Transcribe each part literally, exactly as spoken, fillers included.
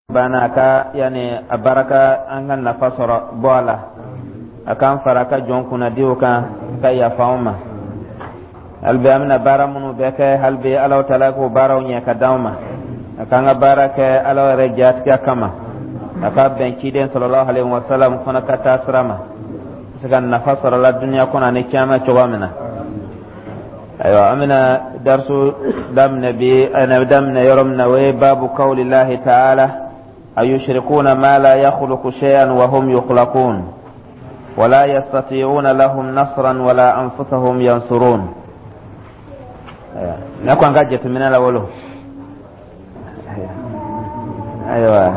Banna a ka yani a baraka an ka nafa sɔrɔ bɔ a la, a k'an fara a ka jɔn kunnadiw kan ka yafa anw ma. Hali bi an bɛna baara minnu bɛɛ kɛ, hali bi Alahu Taala k'o baaraw ɲɛ ka d'anw ma, a k'an ka baara kɛ Ala yɛrɛ jatigɛ kama, a ka bɛn ciden sallallahu alaihi wa sallam fana ka taa sira ma, se ka nafa sɔrɔ la duniya kɔnɔ ani kiyama cogoya min na. Ayiwa, an bɛna darisu daminɛ bi. A daminɛ yɔrɔ min na, o ye babu kawlillahi ta'ala: أيشركون ما لا يخلق شيئا وهم يخلقون ولا يستطيعون لهم نصرا ولا أنفسهم ينصرون. Ne ko an ka jateminɛ la wolo. Ayiwa,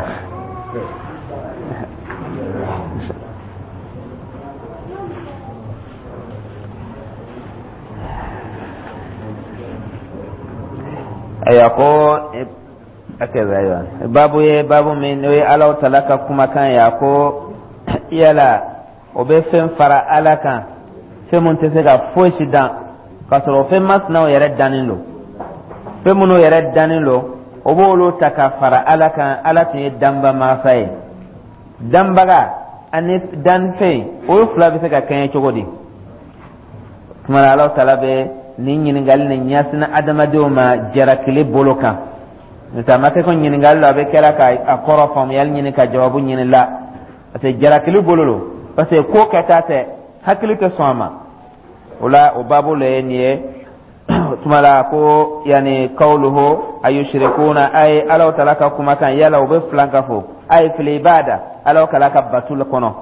ayiwa, ko ayiwa, babu ye babu min n'o ye Alahu Taala ka kumakan ye, a ko yala o bɛ fɛn fara Ala kan, fɛn mun tɛ se ka fosi dan, k'a sɔrɔ o fɛn masinaw yɛrɛ dannen don, fɛn minnu yɛrɛ dannen don, o b'olu ta ka fara Ala kan. Ala tun ye danba masa ye. Danbaga ani danfɛn, olu fila bɛ se ka kɛɲɛ cogo di? Tuma na Alahu Taala bɛ nin ɲininkali nin ɲɛsin adamadenw ma jarakili bolo kan. N'o tɛ, a ma kɛ ko ɲininkali la a bɛ kɛra ka a kɔrɔ faamuyali ɲini ka jawabu ɲini la, parce que jarakili bolo lo, parce que ko kɛta tɛ, hakili tɛ sɔn a ma. O la, o baabu le ye nin ye. Tuma la ko yanni kawluhu ayushrikuna, ay Alahu Taala ka kumakan, yala u bɛ filan ka fɔ ay fil ibada, Alahu Taala ka batu kɔnɔ,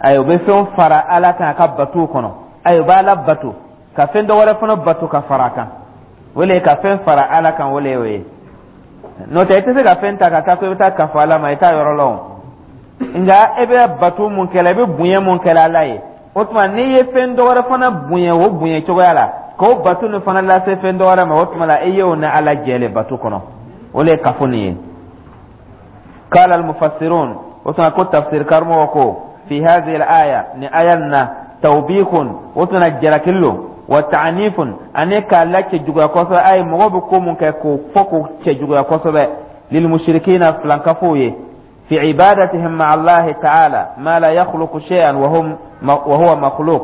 ayi, u bɛ fɛn fara Ala kan a ka batu kɔnɔ, ayi, u b'a la bato ka fɛn dɔ wɛrɛ fana bato ka fara a kan, o le ye ka fɛn fara Ala kan. O le y'o ye. N'o tɛ, i tɛ se ka fɛn ta ka taa ko i bɛ taa kafo Ala ma, i t'a yɔrɔ lɔn. Nka e bɛ bato mun kɛla, i bɛ bonya mun kɛla Ala ye, o tuma n'i ye fɛn dɔ wɛrɛ fana bonya o bonya cogoya la, k'o bato nin fana lase fɛn dɔ wɛrɛ ma, o tuma la e y'o ni Ala jɛ bato kɔnɔ. O le ye kafo nin ye. قال المفسرون, o tuma ko tafsir karamɔgɔ ko: في هذه الآية, ni aya na, توبيخ, o tuma jarakili lo, wa ta'nifun, ani k'a la cɛjuguya kosɛbɛ, ayi, mɔgɔ bɛ ko mun kɛ k'o fɔ k'o cɛjuguya kosɛbɛ, للمشركين, filankafow ye, في عبادتهم مع الله تعالى ما لا يخلق شيئا وهم وهو مخلوق.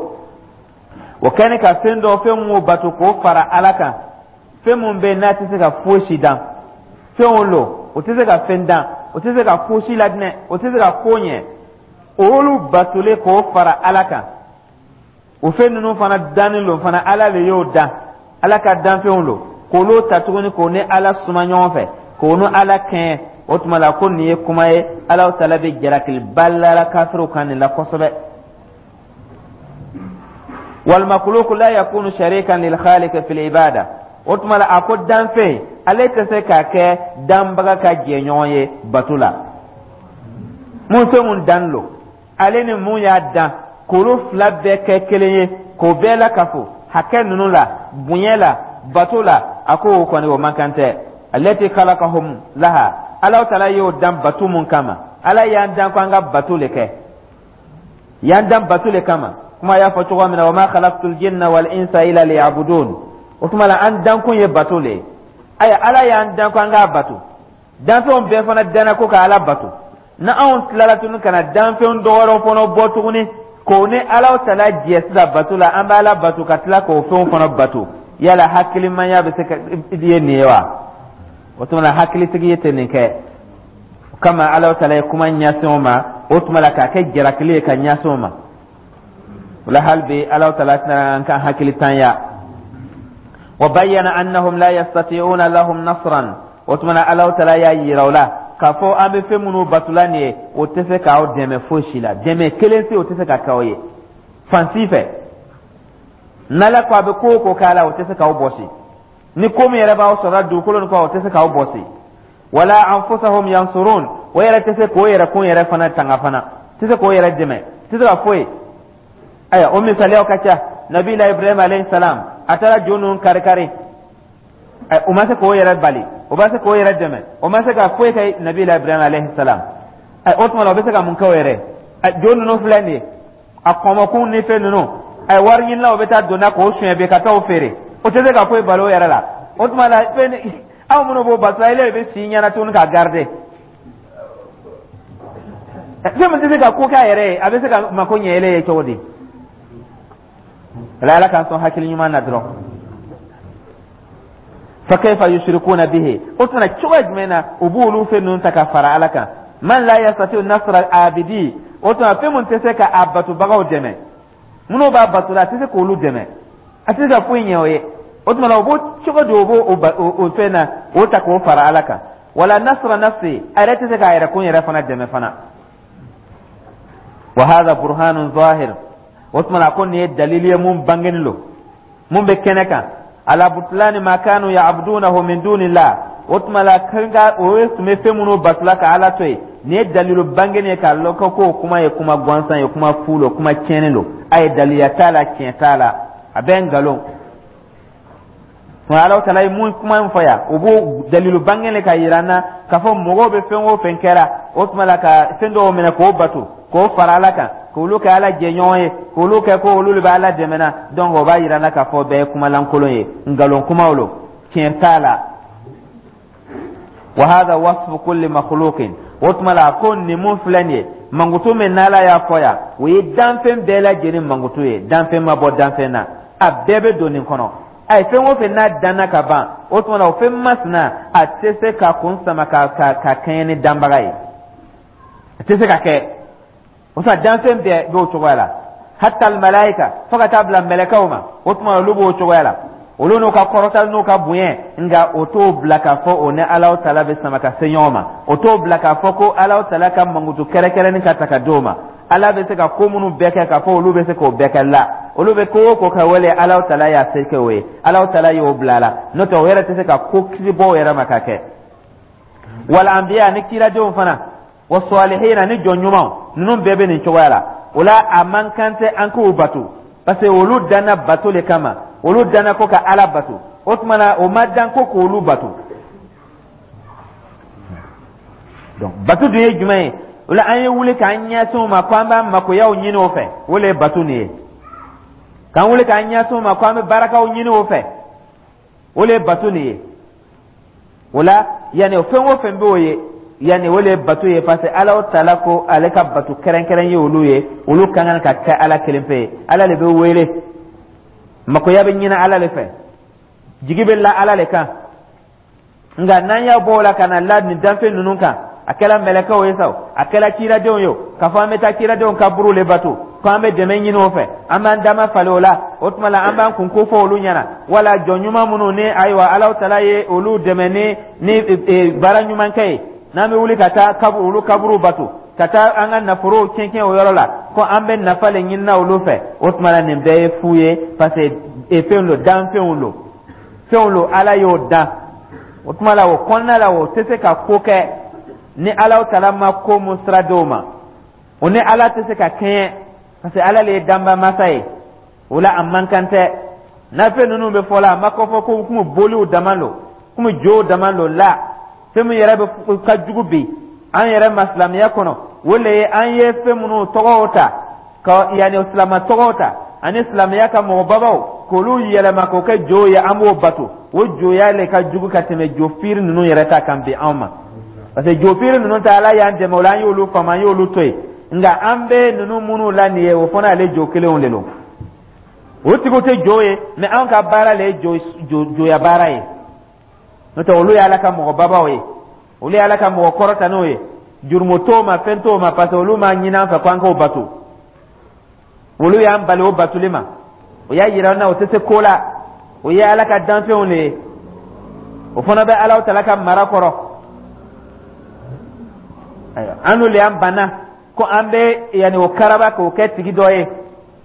O kɛni ka fɛn dɔ, fɛn mun bato k'o fara Ala kan, fɛn mun bɛ n'a tɛ se ka fosi dan, fɛn o lo o tɛ se ka fɛn dan, o tɛ se ka fosi ladinɛ, o tɛ se ka ko ɲɛ, olu batolen k'o fara Ala kan. O fɛn ninnu fana dannen lo fana, Ala le y'o dan, Ala ka danfɛnw lo, k'olu ta tuguni k'o ni Ala suma ɲɔgɔn fɛ, k'o ni Ala kɛɲɛ. O tuma la ko nin ye kuma ye, Alahu Taala bɛ jalakiliba lara kafiriw kan nin la kosɛbɛ. والمخلوق لا يكون شريكا للخالق في العبادة. O tuma la a ko danfɛn ale tɛ se k'a kɛ danbaga ka jɛɲɔgɔn ye bato la. Mun fɛn mun dan lo, ale ni mun y'a dan, k'olu fila bɛɛ kɛ kelen ye, k'o bɛɛ la kafo hakɛ ninnu la, bonya la, bato la, a ko o kɔni o man kan tɛ. التي خلقهم لها, Alahu Taala y'o dan bato mun kama. Ala y'an dan ko an ka bato le kɛ, y'an dan bato le kama. Kuma y'a fɔ cogo min na: وما خلقت الجن والإنس إلا ليعبدون. O tuma la an dankun ye bato le ye. Ayiwa, Ala y'an dan ko an k'a bato, danfɛnw bɛɛ fana danna ko ka Ala bato. Na anw tilala tuguni ka na danfɛn dɔ wɛrɛw fana bɔ tuguni k'o ni Ala Taala jɛ sisan bato la, an bɛ Ala bato ka tila k'o fɛnw fana bato. Yala hakilimaya bɛ se ka ye nin ye wa? O tuma la hakilitigi tɛ nin kɛ. O kama Ala Taala ye kuma ɲɛsin o ma, o tuma la k'a kɛ jalakili ye ka ɲɛsin o ma. O la hali bi Ala Taala tɛna an ka hakilitanya. وبين أنهم لا يستطيعون لهم نصرا. O tuma na Ala Taala y'a yira o la k'a fɔ an bɛ fɛn minnu batula nin ye, o tɛ se k'aw dɛmɛ fosi la, dɛmɛ kelen tɛ, o tɛ se ka k'aw ye fan si fɛ. N'Ala ko a bɛ ko o ko k'a la, o tɛ se k'aw bɔsi. Ni ko min yɛrɛ b'aw sɔrɔ dugukolo nin kɔ, o tɛ se k'aw bɔsi. ولا أنفسهم ينصرون, o yɛrɛ tɛ se k'o yɛrɛ kun yɛrɛ fana tanga fana, tɛ se k'o yɛrɛ dɛmɛ, tɛ se ka foyi. Ayiwa, o misaliyaw ka ca. Nabila Ibrahim alayhi salam, a taara jo ninnu kari kari, o ma se k'o yɛrɛ bali, o ma se k'o yɛrɛ dɛmɛ, o ma se ka foyi kɛ nabila Ibrahim alayhi salam. O tuma la o bɛ se ka mun kɛ o yɛrɛ? Jo ninnu filɛ nin ye, a kɔmɔkun ni fɛn ninnu, a wari ɲinilaw bɛ taa donna k'o suɲɛ bi ka taa o feere, o tɛ se ka foyi bali o yɛrɛ la. O tuma la fɛn aw minnu b'o bato, ile de bɛ si ɲɛna tuguni k'a garder. Fɛn min tɛ se ka ko k'a yɛrɛ ye, a bɛ se ka mako ɲɛ ele ye cogo di? Ala, Ala k'an sɔn hakili ɲuman na dɔrɔn. Fa kayfa yushrikuna bihi? O tuma, cogoya jumɛn na u b'olu fɛn ninnu ta ka fara Ala kan? Man la yastati nasra abidi. O tuma, fɛn mun tɛ se ka a batobagaw dɛmɛ, minnu b'a bato la, a tɛ se k'olu dɛmɛ, a tɛ se ka foyi ɲɛ o ye. O tuma na, o b'o cogo di o b'o o fɛn na o ta k'o fara Ala kan? Wala nasra nafsi, a yɛrɛ tɛ se k'a yɛrɛ kun yɛrɛ fana dɛmɛ fana. Wa hadha burhanun zahir. O tuma na, ko nin ye dalili ye mun bangeni lo, mun bɛ kɛnɛ kan, ala butlani ma kanu ya'budunahu min dunillah. O tuma la, kan o ye tun bɛ fɛn minnu batula ka Ala to yen, nin ye dalilu bangeni ye k'a lɔn ko k'o kuma ye kuma gansan ye, kuma fu lo, kuma tiɲɛnen lo. A ye daliya t'a la, tiɲɛ t'a la, a bɛɛ nkalon. Nka Ala tala ye mun kuma in fɔ yan, o b'o dalilu bangenen ka yira an na k'a fɔ mɔgɔw bɛ fɛn o fɛn kɛra, o tuma la, ka fɛn dɔw minɛ k'o bato, k'o fara Ala kan, k'olu kɛ Ala jɛɲɔgɔn ye, k'olu kɛ ko olu de bɛ Ala dɛmɛ na. Donc o b'a yira an na k'a fɔ bɛɛ ye kumalankolon ye, nkalon kumaw lo, tiɲɛ t'a la. Wa hadha wasfu kulli makhluqin. O tuma la, ko nin mun filɛ nin ye, mankutu min n'Ala y'a fɔ yan, o ye danfɛn bɛɛ lajɛlen mankutu ye. Danfɛn ma bɔ danfɛn na, a bɛɛ bɛ don nin kɔnɔ. A ye fɛn o fɛn n'a danna ka ban, o tuma na, o fɛn masina, a tɛ se ka kun sama ka ka ka kɛɲɛ ni danbaga ye, a tɛ se ka kɛ. O tuma, danfɛn bɛɛ b'o cogoya la, hatta almalayika, fo ka taa bila mɛlɛkɛw ma. O tuma, olu b'o cogoya la, olu n'u ka kɔrɔta n'u ka bonya, nka o t'o bila k'a fɔ o ni Alahu tala bɛ sama ka se ɲɔgɔn ma. O t'o bila k'a fɔ ko Alahu tala ka mankutu kɛrɛnkɛrɛnnin ka ta ka d'o ma, Ala bɛ se ka ko minnu bɛɛ kɛ, k'a fɔ olu bɛ se k'o bɛɛ kɛ la. Olu bɛ ko o ko kɛ, wale Alahu tala y'a se kɛ o ye, Alahu tala y'o bila a la. N'o tɛ, o yɛrɛ tɛ se ka ko kisi bɔ o yɛrɛ ma ka kɛ. Wal anbiya, ni kiradenw fana, wa salihina, ni jɔn ɲumanw, ninnu bɛɛ bɛ nin cogoya la. O la, a man kan tɛ an k'o bato, parce que olu danna bato le kama. Olu danna ko ka Ala bato. O tuma na, o ma dan ko k'olu bato. Donc bato dun ye jumɛn ye? O la, an ye wuli k'an ɲɛsin o ma ko an b'an makoyaw ɲini o fɛ, o le ye bato nin ye. K'an wuli k'an ɲɛsin o ma ko an bɛ barakaw ɲini o fɛ, o le ye bato nin ye. O la, yanni o fɛn o fɛn b'o ye, yanni o le ye bato ye, parce que Ala tala ko ale ka bato kɛrɛnkɛrɛn ye olu ye. Olu ka kan ka kɛ Ala kelen pe ye. Ala de bɛ wele, makoya bɛ ɲini Ala de fɛ, jigi bɛ la Ala de kan. Nka n'an y'a bɔ o la ka na la nin danfɛn ninnu kan, a kɛra mɛlɛkɛw ye sa o, a kɛra kiradenw ye o, k'a fɔ an bɛ taa kiradenw ka buru le bato, ko an bɛ dɛmɛ ɲini o fɛ, an b'an dama falen o la, o tuma la, an b'an kun ko fɔ olu ɲɛna, wala jɔn ɲuman minnu ni ayiwa Ala tala ye olu dɛmɛ ni ni baara ɲuman kɛ ye, n'an bɛ wuli ka taa kaburu, olu kaburu bato, ka taa an ka nafolow tiɲɛ o yɔrɔ la, ko an bɛ nafa le ɲinina olu fɛ, o tuma la, nin bɛɛ ye fu ye, parce que fɛn lo, danfɛnw lo, fɛnw lo, Ala y'o dan. O tuma la, o kɔnɔna la, o tɛ se ka ko kɛ ni Ala tala ma ko mun sira d'o ma. O ni Ala tɛ se ka kɛɲɛ, parce que Ala le ye danba masa ye. O la, a man kan tɛ n'a fɛn ninnu bɛ fɔ la, a ma kɔ fɔ ko komi boliw dama lo, komi jow dama lo la. Fɛn min yɛrɛ bɛ ka jugu bi an yɛrɛ ma silamɛya kɔnɔ, o le ye an ye fɛn minnu tɔgɔw ta ka, yanni silamɛ tɔgɔw ta ani silamɛya ka mɔgɔbabaw, k'olu yɛlɛma k'o kɛ jow ye, an b'o bato. O joya le ka jugu ka tɛmɛ jo fiiri ninnu yɛrɛ ta kan bi anw ma, parce que jo fiiri ninnu ta, Ala y'an dɛmɛ o la, an y'olu faamu, an y'olu to yen. Nka an bɛ ninnu minnu la nin ye, o fana ale jo kelenw de don. O tigiw tɛ jo ye, mais anw ka baara le ye jo joya baara ye. N'o tɛ, olu ye Ala ka mɔgɔbabaw ye, olu ye Ala ka mɔgɔ kɔrɔtanenw ye. Jurumu t'o ma, fɛn t'o ma, parce que olu m'a ɲini an fɛ ko an k'o bato. Olu y'an bali o batoli ma. O y'a yira an na o tɛ se ko la. O ye Ala ka danfɛnw de ye, o fana bɛ Ala tala ka mara kɔrɔ. Ayiwa, an n'olu y'an banna ko an bɛ yanni o karaba k'o kɛ tigi dɔ ye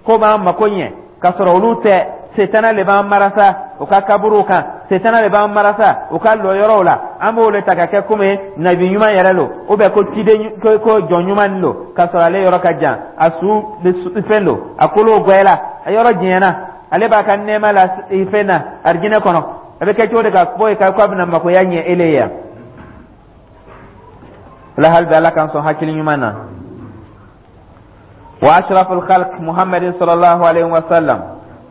ko b'an mako ɲɛ, k'a sɔrɔ olu tɛ. Setana le b'an marasa o ka kaburuw kan, setana le b'an marasa o ka lɔyɔrɔw la. An b'o le ta ka kɛ komi nabi ɲuman yɛrɛ lo, ou bien ko ciden, ko ko jɔn ɲuman lo, k'a sɔrɔ ale yɔrɔ ka jan, a su fɛn don, a kolo gwɛla, a yɔrɔ janyana, ale b'a ka nɛɛma la fɛn na arijinɛ kɔnɔ. A bɛ kɛ cogo di ka bɔ yen k'a bɛna makoya ɲɛ ele ye yan? O la, hali bi, Ala k'an sɔn hakili ɲuman na. Wa ashraful khalq Muhammadin sallallahu alaihi wa sallam,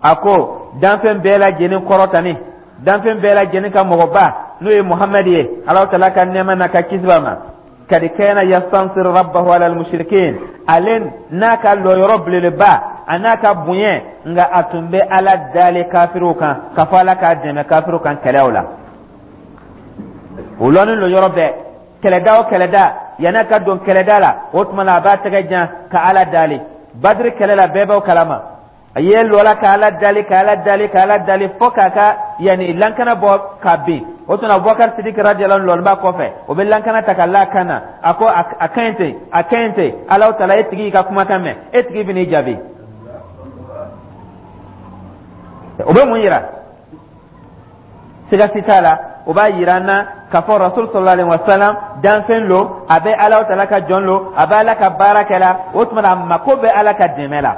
a ko danfɛn bɛɛ lajɛlen kɔrɔtani, danfɛn bɛɛ lajɛlen ka mɔgɔba, n'o ye Muhamadu ye, Ala tala ka nɛɛma n'a ka kisi b'a ma. Kad kana yastansir rabbahu ala almushrikin, ale n'a ka lɔyɔrɔ belebeleba, a n'a ka bonya, nka a tun bɛ Ala dali kafiriw kan k'a fɔ Ala k'a dɛmɛ kafiriw kan kɛlɛw la. O lɔnni lo yɔrɔ bɛɛ, kɛlɛda o kɛlɛda, yan'a ka don kɛlɛda la, o tuma na a b'a tɛgɛ jan ka Ala dali. Badiri kɛlɛ la, bɛɛ b'o kalama, a ye lɔla ka Ala dali, ka Ala dali, ka Ala dali, fo k'a ka yanni lankana bɔ ka bin. O tuma Abubakar Sidiki radiyallahu anhu lɔni b'a kɔfɛ, o bɛ lankana ta ka la kan na. A ko a ka ɲi ten, a ka ɲi ten. Alahu taala, e tigi y'i ka kumakan mɛn, e tigi bɛ n'i jaabi. O bɛ mun yira? Siga si t'a la, o b'a yira an na k'a fɔ Rasul sallallahu alaihi wa sallam danfɛn lo, a bɛ Alahu taala ka jɔn lo, a bɛ Ala ka baara kɛ la. O tuma na a mako bɛ Ala ka dɛmɛ la.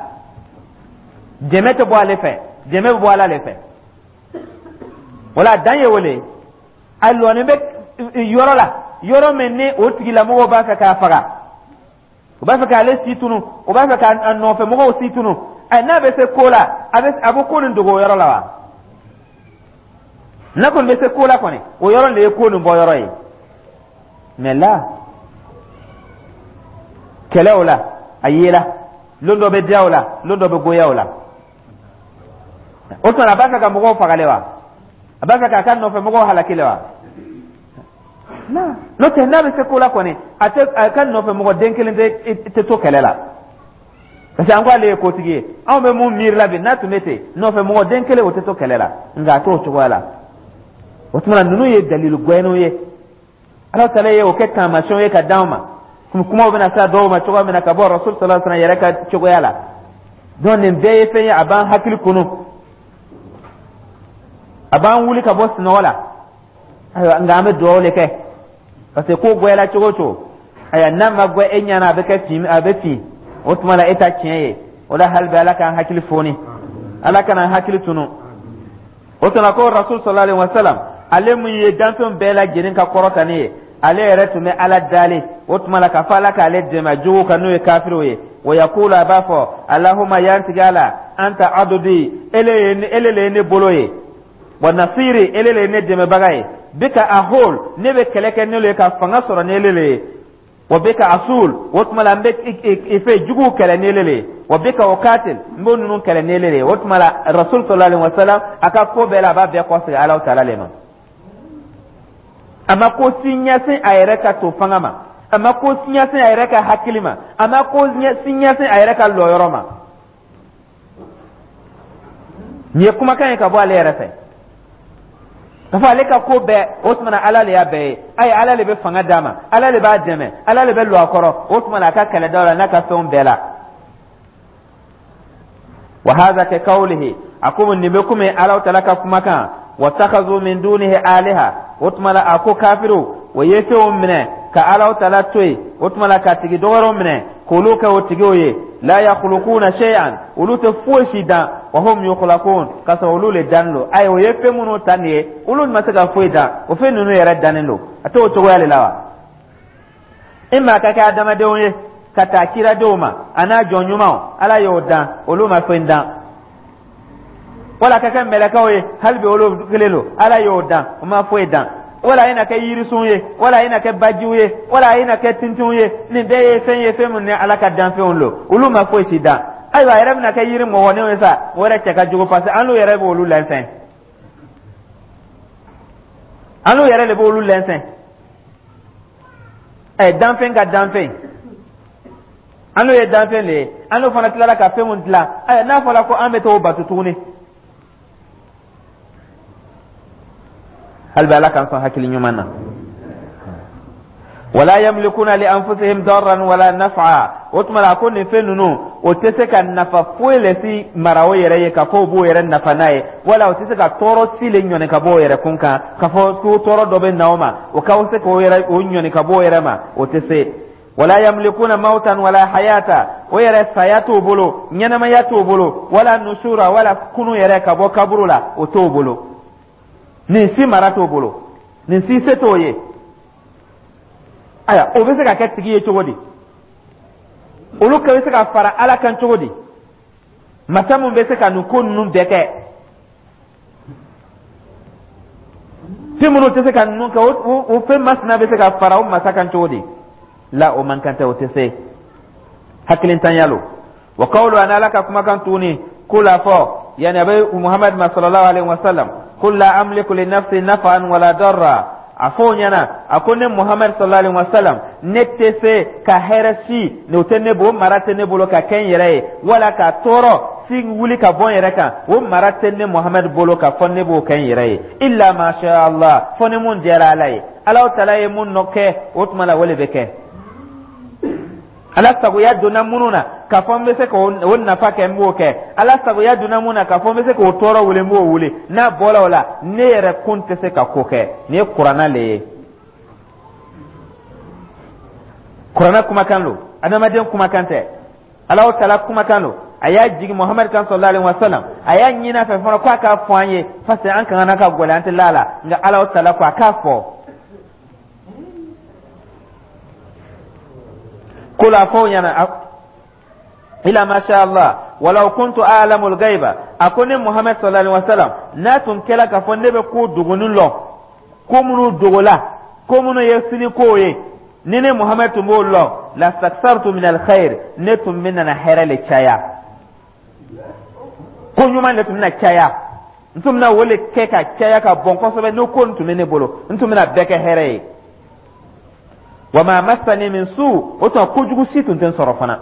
Dɛmɛ tɛ bɔ ale fɛ, dɛmɛ bɛ bɔ Ala de fɛ. Wala dan ye wele, a lɔni bɛ yɔrɔ la, yɔrɔ min ni o tigilamɔgɔw b'a fɛ k'a faga, u b'a fɛ k'ale si tunu, u b'a fɛ k'a nɔfɛ mɔgɔw si tunu. Ɛ, n'a bɛ se ko la, a bɛ a bɛ ko nin dogo o yɔrɔ la wa? N'a kɔni bɛ se ko la kɔni, o yɔrɔ de ye ko nin bɔ yɔrɔ ye. Mɛ la kɛlɛw la, a yela lon dɔ bɛ diya o la, lon dɔ bɛ goya o la. O tuma a b'a fɛ ka mɔgɔw fagale wa? A b'a fɛ k'a ka nɔfɛ mɔgɔw halaki le wa? N'o tɛ, n'a bɛ se ko la kɔni, a tɛ a ka nɔfɛ mɔgɔ den kelen tɛ tɛ to kɛlɛ la, parce que an ko ale ye kotigi ye. Anw bɛ mun miiri la bi? N'a tun bɛ ten, nɔfɛ mɔgɔ den kelen, o tɛ to kɛlɛ la, nka a t'o cogoya la. O tuma na ninnu ye dalilu gɛnniw ye, Ala taala ye o kɛ taamasiyɛnw ye ka d'anw ma. Kumaw bɛna se a dɔw ma cogoya min na ka bɔ Rasul sallallahu alaihi wasallam yɛrɛ ka cogoya la. Donc nin bɛɛ ye fɛn ye, a b'an hakili kunu, a b'an wuli ka bɔ sunɔgɔ la. Ayiwa, nka an bɛ dugawu de kɛ, parce que ko goyala cogo o cogo, ayiwa, n'a ma gbɛ e ɲɛna, a bɛ kɛ fin, a bɛ fin. O tuma la e ta tiɲɛ ye o la. Hali bi Ala k'an hakili foni, Ala kana an hakili tunu. O tuma ko Rasul sallallahu alaihi wasallam, ale mun ye danfɛnw bɛɛ lajɛlen ka kɔrɔta ne ye, ale yɛrɛ tun bɛ Ala dali o tuma la k'a fɔ Ala k'ale dɛmɛ juguw kan, n'o ye kafiriw ye. Wa yakulu, a b'a fɔ: Alahuma, yantigi Ala, anta adudi, ele ye ele le ye ne bolo ye, wa nasiri, ele le ye ne dɛmɛbaga ye, bika ahol, ne bɛ kɛlɛ kɛ n'olu ye ka fanga sɔrɔ ni ele le ye, wa bika asul, o tuma la n bɛ i fɛ juguw kɛlɛ ni ele le ye, wa bika ukatil, n b'o ninnu kɛlɛ ni ele le ye. O tuma la Rasul sallallahu alaihi wa sallam, a ka ko bɛɛ la, a b'a bɛɛ kɔsegin Alahu taala le ma. A ma ko si ɲɛsin a yɛrɛ ka to fanga ma, a ma ko si ɲɛsin a yɛrɛ ka hakili ma, a ma ko si ɲɛsin a yɛrɛ ka lɔyɔrɔ ma. Nin ye kumakan ye ka bɔ ale yɛrɛ fɛ, k'a fɔ ale ka ko bɛɛ, o tuma na Ala le y'a bɛɛ ye. Ayi, Ala le bɛ fanga d'a ma, Ala le b'a dɛmɛ, Ala le bɛ lɔ a kɔrɔ. O tuma na a ka kɛlɛdaw la, n'a ka fɛnw bɛɛ la. Wa hadha ka qawlihi, a ko nin bɛ komi Ala taala ka kumakan: watakhazu min dunihi aliha. O tuma la a ko kafiriw o ye fɛnw minɛ ka Ala taala to yen, o tuma la ka tigi dɔwɛrɛw minɛ k'olu kɛ o tigiw ye. La yakhluquna shay'an, olu tɛ foyi si dan, wa hum yukhlaqun, k'a sɔrɔ olu le dannen don. Ayi, o ye fɛn minnu ta nin ye, olu ma se ka foyi dan, o fɛn ninnu yɛrɛ dannen don. A t'o cogoya de la wa? I maa ka kɛ adamadenw ye ka taa kiradenw ma, a n'a jɔn ɲumanw, Ala y'o dan, olu ma fɛn dan. Wala ka kɛ mɛlɛkɛw ye, hali bi olu kelen don, Ala y'o dan, o ma foyi dan. Wala i na kɛ yirisun ye, wala i na kɛ bajiw ye, wala i na kɛ tintinw ye, nin bɛɛ ye fɛn ye, fɛn min ni Ala ka danfɛnw don, olu ma foyi si dan. Ayiwa, a yɛrɛ bɛna kɛ yiri mɔgɔninw ye sa, o yɛrɛ cɛ ka jugu, parce que an n'u yɛrɛ b'olu lɛnsɛn, an n'u yɛrɛ de b'olu lɛnsɛn. Ɛ, danfɛn ka danfɛn, an n'o ye danfɛn de ye, an n'o fana tilara ka fɛn mun dilan. Ayiwa, n'a fɔra ko an bɛ t'o bato tuguni, hali bi Ala k'an sɔn hakili ɲuman na. Wala yamlikuna li anfusihim darran wala naf'a. O tuma la a ko nin fɛn ninnu, o tɛ se ka nafa foyi le si mara o yɛrɛ ye k'a fɔ o b'o yɛrɛ nafa n'a ye, wala o tɛ se ka tɔɔrɔ si le ɲɔni ka bɔ o yɛrɛ kun kan, k'a fɔ ko tɔɔrɔ dɔ bɛ na o ma, o ka se k'o yɛrɛ o ɲɔni ka bɔ o yɛrɛ ma, o tɛ se. Wala yamlikuna mautan wala hayata, o yɛrɛ saya t'o bolo, ɲɛnamaya t'o bolo, wala nusura, wala kunu yɛrɛ ka bɔ kaburu la, o t'o bolo. Nin si mara t'o bolo, nin si se t'o ye. Ayiwa, o bɛ se ka kɛ tigi ye cogo di? Olu ka bɛ se ka fara Ala kan cogo di? Masa mun bɛ se ka nin ko ninnu bɛɛ kɛ, fɛn minnu tɛ se ka ninnu kɛ, o fɛn masina bɛ se ka fara o masa kan cogo di? La, o man kan tɛ, o tɛ se, hakilintanya lo. Wa qawlu, ani Ala ka kumakan tuguni, kul, a fɔ, yani a bɛ Muhammad ma sallallahu alaihi wasallam, qul la amliku li nafsi naf'an wala darra. A fɔ o ɲɛna, a ko ne Muhammad sallallahu alaihi wasallam, ne tɛ se ka hɛrɛ si o tɛ ne bolo, o mara tɛ ne bolo ka kɛ n yɛrɛ ye, wala ka tɔɔrɔ si wuli ka bɔ n yɛrɛ kan, o mara tɛ ne Muhammad bolo ka fɔ ne b'o kɛ n yɛrɛ ye, illa ma sha Allah, fɔ ni mun diyara Ala ye. Ala tala ye mun nɔ kɛ, o tuma la o de bɛ kɛ. Ala sagoya donna minnu na k'a fɔ n bɛ se k'o nafa kɛ, n b'o kɛ. Ala sagoya donna mun na k'a fɔ n bɛ se k'o tɔɔrɔ wuli, n b'o wuli. N'a bɔra o la, ne yɛrɛ kun tɛ se ka ko kɛ. Nin ye Kuranna le ye, Kuranna kumakan lo, adamaden kumakan tɛ, Ala tala kumakan lo. A y'a jigin Muhamadu kan sallallahu alaihi wasallam, a y'a ɲini a fɛ fana k'a k'a fɔ an ye, parce que an kan ka gɛlɛn, an tɛ la la, nka Ala tala ko a k'a fɔ. Kul, a fɔ o ɲɛna, ila ma sha Allah, walaw kuntu a'lamu al-ghaiba. A ko ne Muhammad sallallahu alaihi wasallam, n'a tun kɛla k'a fɔ ne bɛ ko dogonin lɔn, ko minnu dogola, ko minnu ye sini kow ye, ni ne Muhammad tun b'o lɔn, lastakthartu min alkhair, ne tun bɛ nana hɛrɛ le caya, ko ɲuman de tun bɛna caya, n tun bɛna o le kɛ ka caya ka bɔn kosɛbɛ. N'o ko nin tun bɛ ne bolo, n tun bɛna bɛɛ kɛ hɛrɛ ye. Wa ma massani min su, o tuma kojugu si tun tɛ n sɔrɔ fana,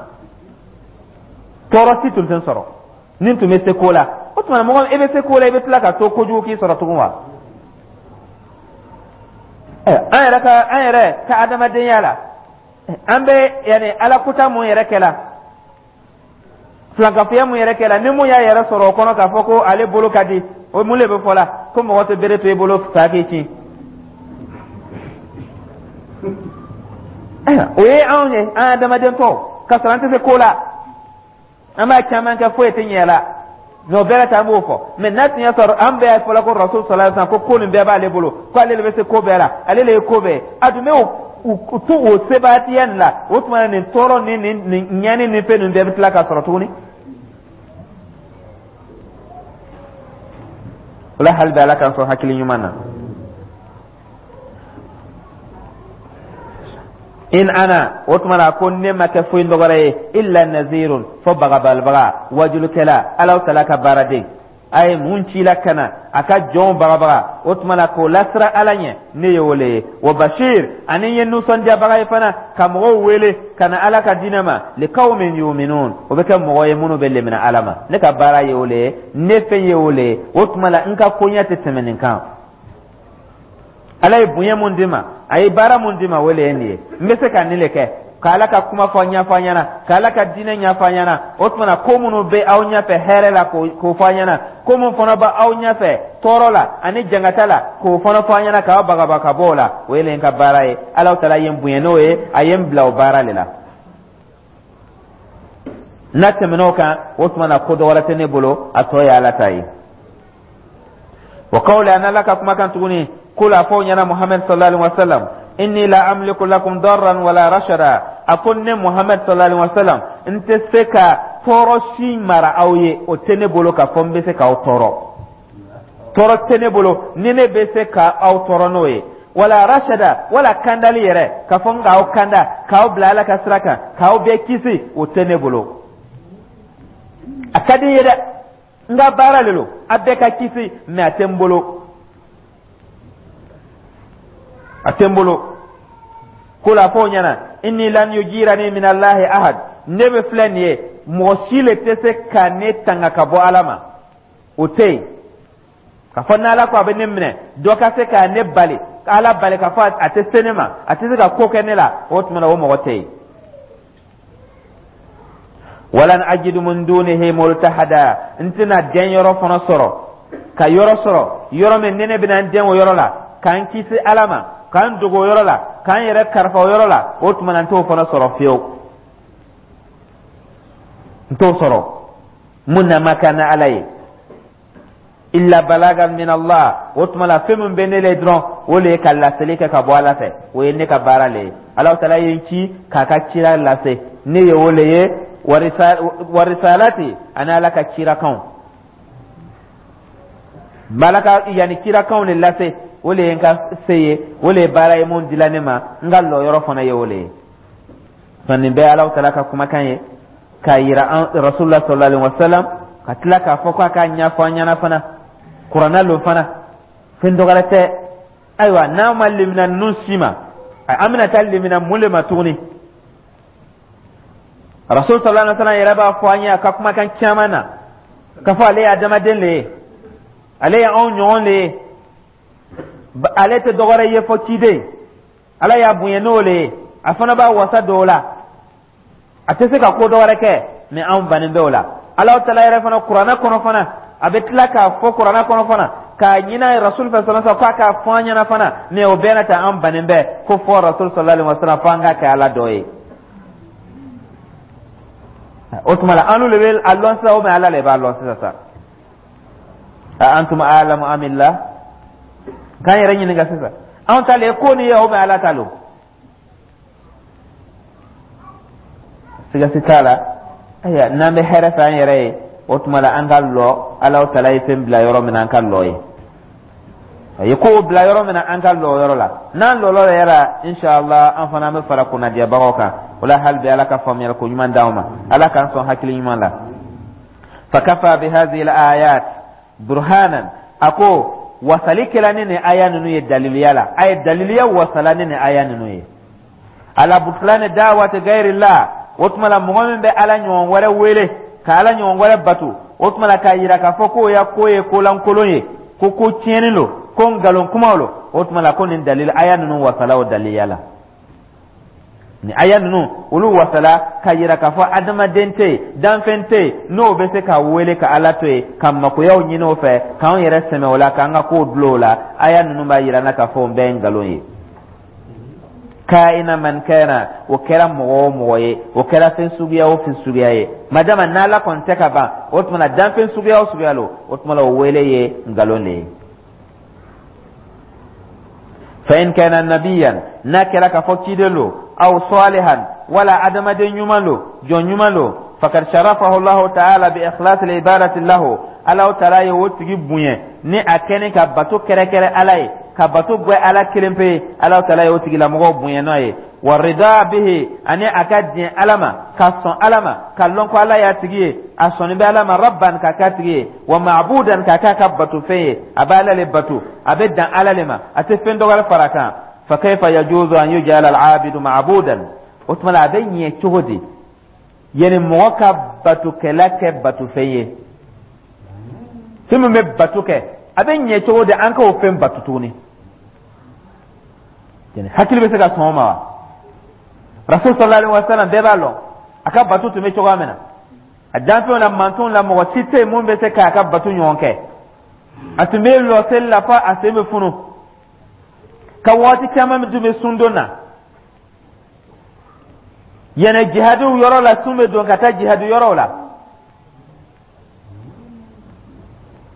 tɔɔrɔ si tun tɛ n sɔrɔ ni n tun bɛ se ko la. O tuma mɔgɔ, e bɛ se ko la, i bɛ tila ka to kojugu k'i sɔrɔ tugun wa? An yɛrɛ ka an yɛrɛ ka adamadenya la, an bɛ yanni Ala kuta mun yɛrɛ kɛ la, filankafoya mun yɛrɛ kɛ la, ni mun y'a yɛrɛ sɔrɔ o kɔnɔ k'a fɔ ko ale bolo ka di, o mun de bɛ fɔ la ko mɔgɔ tɛ bere to i bolo fa k'i ci? O ye anw ye, an adamaden tɔw, ka sɔrɔ an tɛ se ko la, an b'a caman kɛ, foyi tɛ ɲɛ la, mɛ o bɛɛ la ta, an b'o fɔ. Mɛ n'a tun y'a sɔrɔ an bɛɛ fɔla ko Rasul sallallahu alaihi wasallam ko ko nin bɛɛ b'ale bolo, ko ale de bɛ se ko bɛɛ la, ale de ye ko bɛɛ, a dun bɛ o to o sebaatiya nin la, o tuma nin tɔɔrɔ ni nin nin ɲani ni fɛn ninnu bɛɛ bɛ tila ka sɔrɔ tuguni. O la, hali bi Ala k'an sɔn hakili ɲuman na. In ana, o tuma na ko ne ma kɛ foyi dɔgɔrɛ ye, illa nazirun, fo bagabalibaga, wajulukɛla, Alaw tala ka baaraden, a ye mun ci la ka na a ka jɔnw bagabaga, o tuma na k'o lasira Ala ɲɛ, ne ye o le ye. Wa bashir, ani n ye nisɔndiyabaga ye fana, ka mɔgɔw wele ka na Ala ka diinɛ ma, liqawmin yuminun, o bɛ kɛ mɔgɔ ye minnu bɛ lemina Ala ma. Ne ka baara ye o le ye, ne fɛn ye o le ye. O tuma la n ka koɲɛ tɛ tɛmɛ nin kan. Ala ye bonya mun di ma, a ye baara mun di ma, o le ye nin ye. N bɛ se ka nin le kɛ, ka Ala ka kuma fɔ ɲɛfɔ an ɲɛna, ka Ala ka diinɛ ɲɛfɔ an ɲɛna. O tuma na ko minnu bɛ aw ɲɛfɛ hɛrɛ la, k'o fɔ an ɲɛna, ko mun fana bɛ aw ɲɛfɛ tɔɔrɔ la ani jangata la, k'o fana fɔ an ɲɛna, k'aw bagaba ka bɔ o la, o ye le n ka baara ye. Ala taala ye n bonya n'o ye, a ye n bila o baara de la. N'a tɛmɛn'o kan, o tuma na ko dɔ wɛrɛ tɛ ne bolo, a tɔ ye Ala ta ye. Wa qawli, an Ala ka kumakan tuguni, kul, a fɔ o ɲɛna Muhammad sallallahu alaihi wasallam, inni la amliku lakum darran wala rashada. A ko ne Muhammad sallallahu alaihi wasallam, n tɛ se ka tɔɔrɔ si mara aw ye, o tɛ ne bolo k'a fɔ n bɛ se k'aw tɔɔrɔ, tɔɔrɔ tɛ ne bolo ni ne bɛ se ka aw tɔɔrɔ n'o ye, wala rashada, wala kandali yɛrɛ, k'a fɔ n k'aw kanda, k'aw bila Ala ka sira kan, k'aw bɛɛ kisi, o tɛ ne bolo. A ka di n ye dɛ, n ka baara de lo, a bɛɛ ka kisi, mɛ a tɛ n bolo, a tɛ n bolo. Ko la, fɔ o ɲɛna, inni lan yujirani min Allahi ahad, ne bɛ filɛ nin ye, mɔgɔ si le tɛ se ka ne tanga ka bɔ Ala ma, o tɛ yen. Ka fɔ n'Ala ko a bɛ ne minɛ, dɔ ka se ka ne bali, Ala bali ka fɔ a tɛ se ne ma, a tɛ se ka ko kɛ ne la, o tuma na o mɔgɔ tɛ yen. Walan ajidu min dunihi multahada, n tɛna den yɔrɔ fana sɔrɔ, ka yɔrɔ sɔrɔ, yɔrɔ min ni ne bɛna n den o yɔrɔ la, k'an kisi Ala ma, k'an dogo o yɔrɔ la, k'an yɛrɛ karifa o yɔrɔ la, o tuma na n t'o fana sɔrɔ fiyewu, n t'o sɔrɔ. Mun na ma kan na Ala ye, illa balagan min Allah, o tuma la fɛn min bɛ ne le dɔrɔn, o le ye ka laseli kɛ ka bɔ Ala fɛ, o ye ne ka baara le ye. Ala taala ye n ci k'a ka cira lase, ne ye o le ye, warisalati, ani Ala ka cirakanw, n ka yanni cirakanw de lase, o le ye n ka se ye, o le ye baara ye mun dila ne ma, n ka lɔyɔrɔ fana ye o le ye. Nin bɛɛ Alahu Taala ka kumakan ye k'a yira an Rasulullah sallallahu alaihi wasallam, ka tila k'a fɔ k'a k'a ɲɛfɔ an ɲɛna fana, kuranna lo fana, fɛn dɔwɛrɛ tɛ. Ayiwa, n'an ma limina ninnu si ma, an bɛna taa limina mun le ma tuguni? Rasul sallallahu alaihi wasallam yɛrɛ b'a fɔ an ye a ka kumakan caman na k'a fɔ ale ye adamaden le ye, ale ye anw ɲɔgɔn le ye, ale tɛ dɔwɛrɛ ye fɔ ciden. Ala y'a bonya n'o le ye, a fana b'a wasa don o la, a tɛ se ka ko dɔwɛrɛ kɛ. Mɛ anw bannen bɛ o la. Alahu Taala yɛrɛ fana, kuranɛ kɔnɔ fana, a bɛ tila k'a fɔ kuranɛ kɔnɔ fana k'a ɲini Rasul fɛ sallallahu alaihi k'a k'a fɔ an ɲɛna fana. Mɛ o bɛɛ n'a ta, an bannen bɛ ko fɔ Rasul sallallahu alaihi wasallam, fo an k'a kɛ Ala dɔ ye. O tuma la, an le bɛ a lɔn sisan, o mɛ Ala le b'a lɔn sisan sa. A antum a'lamu amillah? K'an yɛrɛ ɲininka sisan, anw ta le ye ko nin ye, o mɛ Ala ta lo? Siga si t'a la. Ayiwa, n'an bɛ hɛrɛ fɛ an yɛrɛ ye, o tuma la an ka lɔ Alahu Taala ye fɛn bila yɔrɔ min na, an ka lɔ ye. A ye kow bila yɔrɔ min na, an ka lɔ o yɔrɔ la. N'an lɔlɔ yɛrɛ la, inshallah, an fana an bɛ fara kunnadiyabagaw kan. O la, hali bi, Ala ka faamuyali ko ɲuman d'anw ma, Ala k'an sɔn hakili ɲuman la. Fakafa bihadhihi al-ayat burhanan. A ko wasali kɛla ni nin aya ninnu ye daliliya la, a ye daliliya wasala ni nin aya ninnu ye, ala butlani da'wati ghayrillah. O tuma la, mɔgɔ min bɛ Ala ɲɔgɔn wɛrɛ wele ka Ala ɲɔgɔn wɛrɛ bato, o tuma la k'a yira k'a fɔ k'o ya ko ye kolankolon ye, ko ko tiɲɛni lo, ko nkalon kumaw lo, o tuma la ko nin dalil aya ninnu wasala o daliliya la. Ni aya ninnu, olu wasala k'a yira k'a fɔ adamaden tɛ yen, danfɛn tɛ yen n'o bɛ se ka wele ka Ala to yen, ka makoyaw ɲini o fɛ, k'anw yɛrɛ sɛmɛ o la, k'an ka kow dulon o la. Aya ninnu b'a yira n na k'a fɔ o bɛɛ ye nkalon ye. Kaina man kana, o kɛra mɔgɔ o mɔgɔ ye, o kɛra fɛn suguya o fɛn suguya ye, madama n'Ala kɔni tɛ ka ban, o tuma na danfɛn suguya o suguya lo, o tuma la o wele ye nkalon de ye. Fa in kana nabiyan, n'a kɛra k'a fɔ ciden lo, aw salihan, wala adamaden ɲuman lo, jɔn ɲuman lo, fakad sharafahu Allahu ta'ala bi ikhlas al-ibadati lahu. Allahu ta'ala ye o tigi bonya ni a kɛni ka bato kɛrɛkɛrɛ Ala ye, ka bato gwɛ Ala kelen pe ye. Allahu ta'ala ye o tigilamɔgɔw bonya n'o ye. Wa rida bihi, ani a ka diɲɛ Ala ma, ka sɔn Ala ma, ka lɔn ko Ala y'a tigi ye, a sɔnni bɛ Ala ma rabban, k'a k'a tigi ye, wa ma'budan, k'a k'a ka batofɛn ye. A bɛ Ala le bato, a bɛ dan Ala le ma, a tɛ fɛn dɔ wɛrɛ fara a kan. Fa kayfa yajuzu an yuj'ala al-'abidu ma'budan? O tuma la, a bɛ ɲɛ cogo di yani mɔgɔ ka batokɛla kɛ batofɛn ye? Fɛn min bɛ bato kɛ, a bɛ ɲɛ cogo di an k'o fɛn bato tuguni? Hakili bɛ se ka sɔn o ma wa? Rasul sallallahu alaihi wasallam, bɛɛ b'a lɔn a ka bato tun bɛ cogoya min na. A danfɛnw na, mantonw la, mɔgɔ si tɛ yen mun bɛ se k'a ka bato ɲɔgɔn kɛ. A tun bɛ lɔ seli la fo a sen bɛ funu, ka waati caman tun bɛ sundon na yɛnɛ jihadiw yɔrɔ la, sun bɛ don ka taa jihadi yɔrɔw la.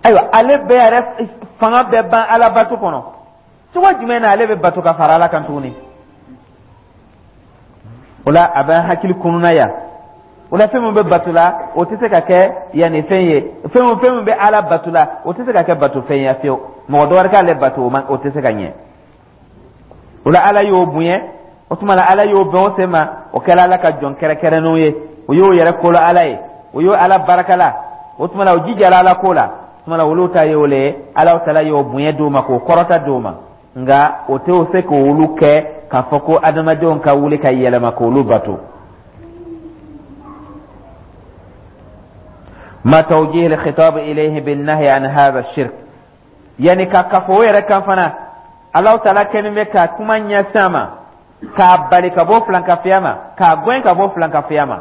Ayiwa, ale bɛɛ yɛrɛ fanga bɛɛ ban Ala bato kɔnɔ. Cogo jumɛn na ale bɛ bato ka fara Ala kan tuguni? O la, a bɛ hakili kununa yan. O la, fɛn min bɛ bato la, o tɛ se ka kɛ yanni fɛn ye. Fɛn o fɛn min bɛ Ala bato la, o tɛ se ka kɛ bato fɛn ye fiyewu. Mɔgɔ dɔ wɛrɛ k'ale bato, o ma, o tɛ se ka ɲɛ. O la, Ala y'o bonya. O tuma la, Ala y'o bɛn o sen ma, o kɛra Ala ka jɔn kɛrɛkɛrɛnnenw ye, o y'o yɛrɛ kolo Ala ye, o y'o Ala barakala. O tuma la, o jijara Ala ko la. O tuma la, olu ta ye o le ye. Ala taala y'o bonya d'o ma, k'o kɔrɔta d'o ma. Nka o tɛ o se k'olu kɛ k'a fɔ ko adamadenw ka wuli ka yɛlɛma k'olu bato. Ma tawjih al-khitab ilayhi bin nahy an hadha ash-shirk, yani ka kafo o yɛrɛ kan fana, Allahu taala kɛlen bɛ ka kuma ɲɛsin a ma, k'a bali ka bɔ filankafiya ma, k'a gɛn ka bɔ filankafiya ma.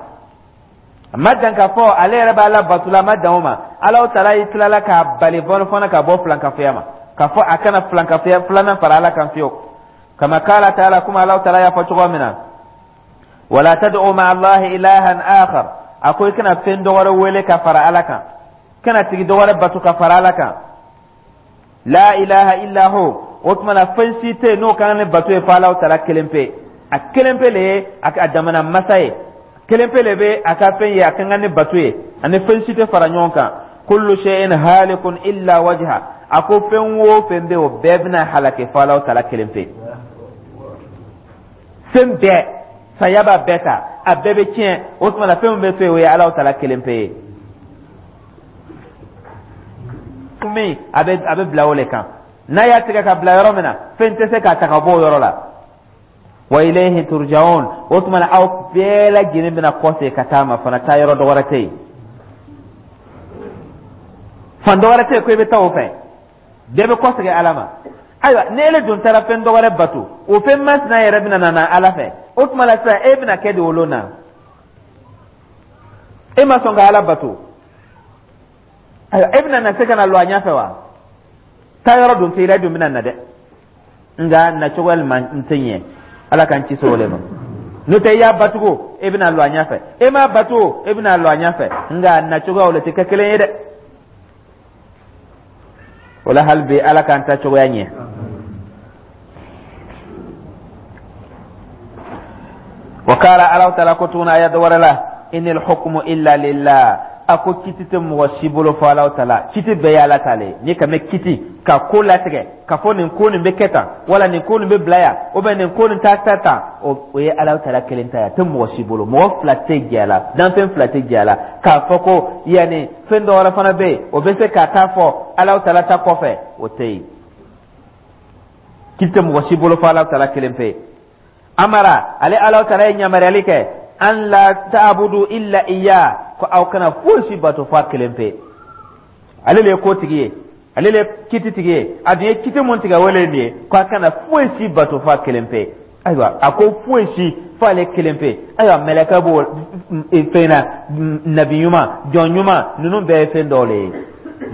A ma dan k'a fɔ ale yɛrɛ b'a la bato la, a ma dan o ma. Allahu taala y'i tilala k'a bali bɔ fana ka bɔ filankafiya ma, k'a fɔ a kana filankafiya filanan fara Ala kan fiyewu. Kama kala taala, kuma Allahu taala y'a fɔ cogo min na: wala tad'u ma'a Allahi ilahan akhar. A ko i kana fɛn dɔ wɛrɛ wele ka fara Ala kan, kana tigi dɔ wɛrɛ bato ka fara Ala kan. La ilaha illa hu. O tuma na, fɛn si tɛ yen n'o kan ni bato ye fo Alahu taala kelen pe. A kelen pe le ye a damana masa ye, kelen pe le bɛ a ka fɛn ye, a kan ka ni bato ye, ani fɛn si tɛ fara ɲɔgɔn kan. Kullu shay'in halikun illa wajha. A ko fɛn o fɛn bɛ, o bɛɛ bɛna halaki fo Alahu taala kelen pe. Fɛn bɛɛ, saya b'a bɛɛ ta. A bɛɛ bɛ tiɲɛ. O tuma la, fɛn min bɛ to yen, o ye Alahu Taala kelen pe ye. Min a bɛ a bɛ bila o le kan, n'a y'a tigɛ ka bila yɔrɔ min na, fɛn tɛ se k'a ta ka bɔ o yɔrɔ la. Wa ilayhi turja'un. O tuma na, aw bɛɛ lajɛlen bɛna kɔsegin ka taa ma fana. Taa yɔrɔ dɔ wɛrɛ tɛ yen, fan dɔ wɛrɛ tɛ yen ko i bɛ taa o fɛ. Bɛɛ bɛ kɔsegin Ala ma. Ayiwa, ni ele dun taara fɛn dɔ wɛrɛ bato, o fɛn masina yɛrɛ bɛna na Ala fɛ. O tuma la sisan, e bɛna kɛ di o lon na? E ma sɔn ka Ala bato. Ayiwa, e bɛna na se ka na lɔ a ɲɛfɛ wa? Taa yɔrɔ dun tɛ i la, e dun bɛna na dɛ, nka nacogo man tɛ ɲɛ. Ala k'an ci o le ma. N'o tɛ, i y'a batugo, e bɛna lɔ a ɲɛfɛ. E m'a bato, e bɛna lɔ a ɲɛfɛ, nka nacogoyaw le tɛ kɛ kelen ye dɛ. O la, hali bi, Ala k'an ta cogoya ɲɛ. Wa kala, Ala taala ko tuguni aya dɔ wɛrɛ la: inil hukmu illa lillah. A ko kiti tɛ mɔgɔ si bolo fo Ala taala. Kiti bɛɛ ye Ala ta le ye. N'i ka mɛn kiti ka ko latigɛ ka fɔ nin ko nin bɛ kɛ tan, wala nin ko nin bɛ bila yan, ou bien nin ko nin t'a ta tan, o ye Ala taala kelen ta ye. A tɛ mɔgɔ si bolo. Mɔgɔ fila tɛ jɛ a la, danfɛn fila tɛ jɛ a la k'a fɔ ko yanni fɛn dɔ wɛrɛ fana bɛ yen, o bɛ se ka taa fɔ Ala taala ta kɔfɛ. O tɛ yen. Kiti tɛ mɔgɔ si bolo fo Ala taala kelen pe. Amara, ale Ala taala ye yamaruyali kɛ: an la ta'budu illa iya, ko aw kana foyi si bato fo a kelen pe. Ale le ye ko tigi ye, ale le ye kiti tigi ye. A dun ye kiti mun tigɛ, o le ye nin ye, ko a kana foyi si bato fo a kelen pe. Ayiwa, a ko foyi si fo ale kelen pe. Ayiwa, mɛlɛkɛ b'o fɛn na, nabi ɲuman, jɔn ɲuman, ninnu bɛɛ ye fɛn dɔw le ye.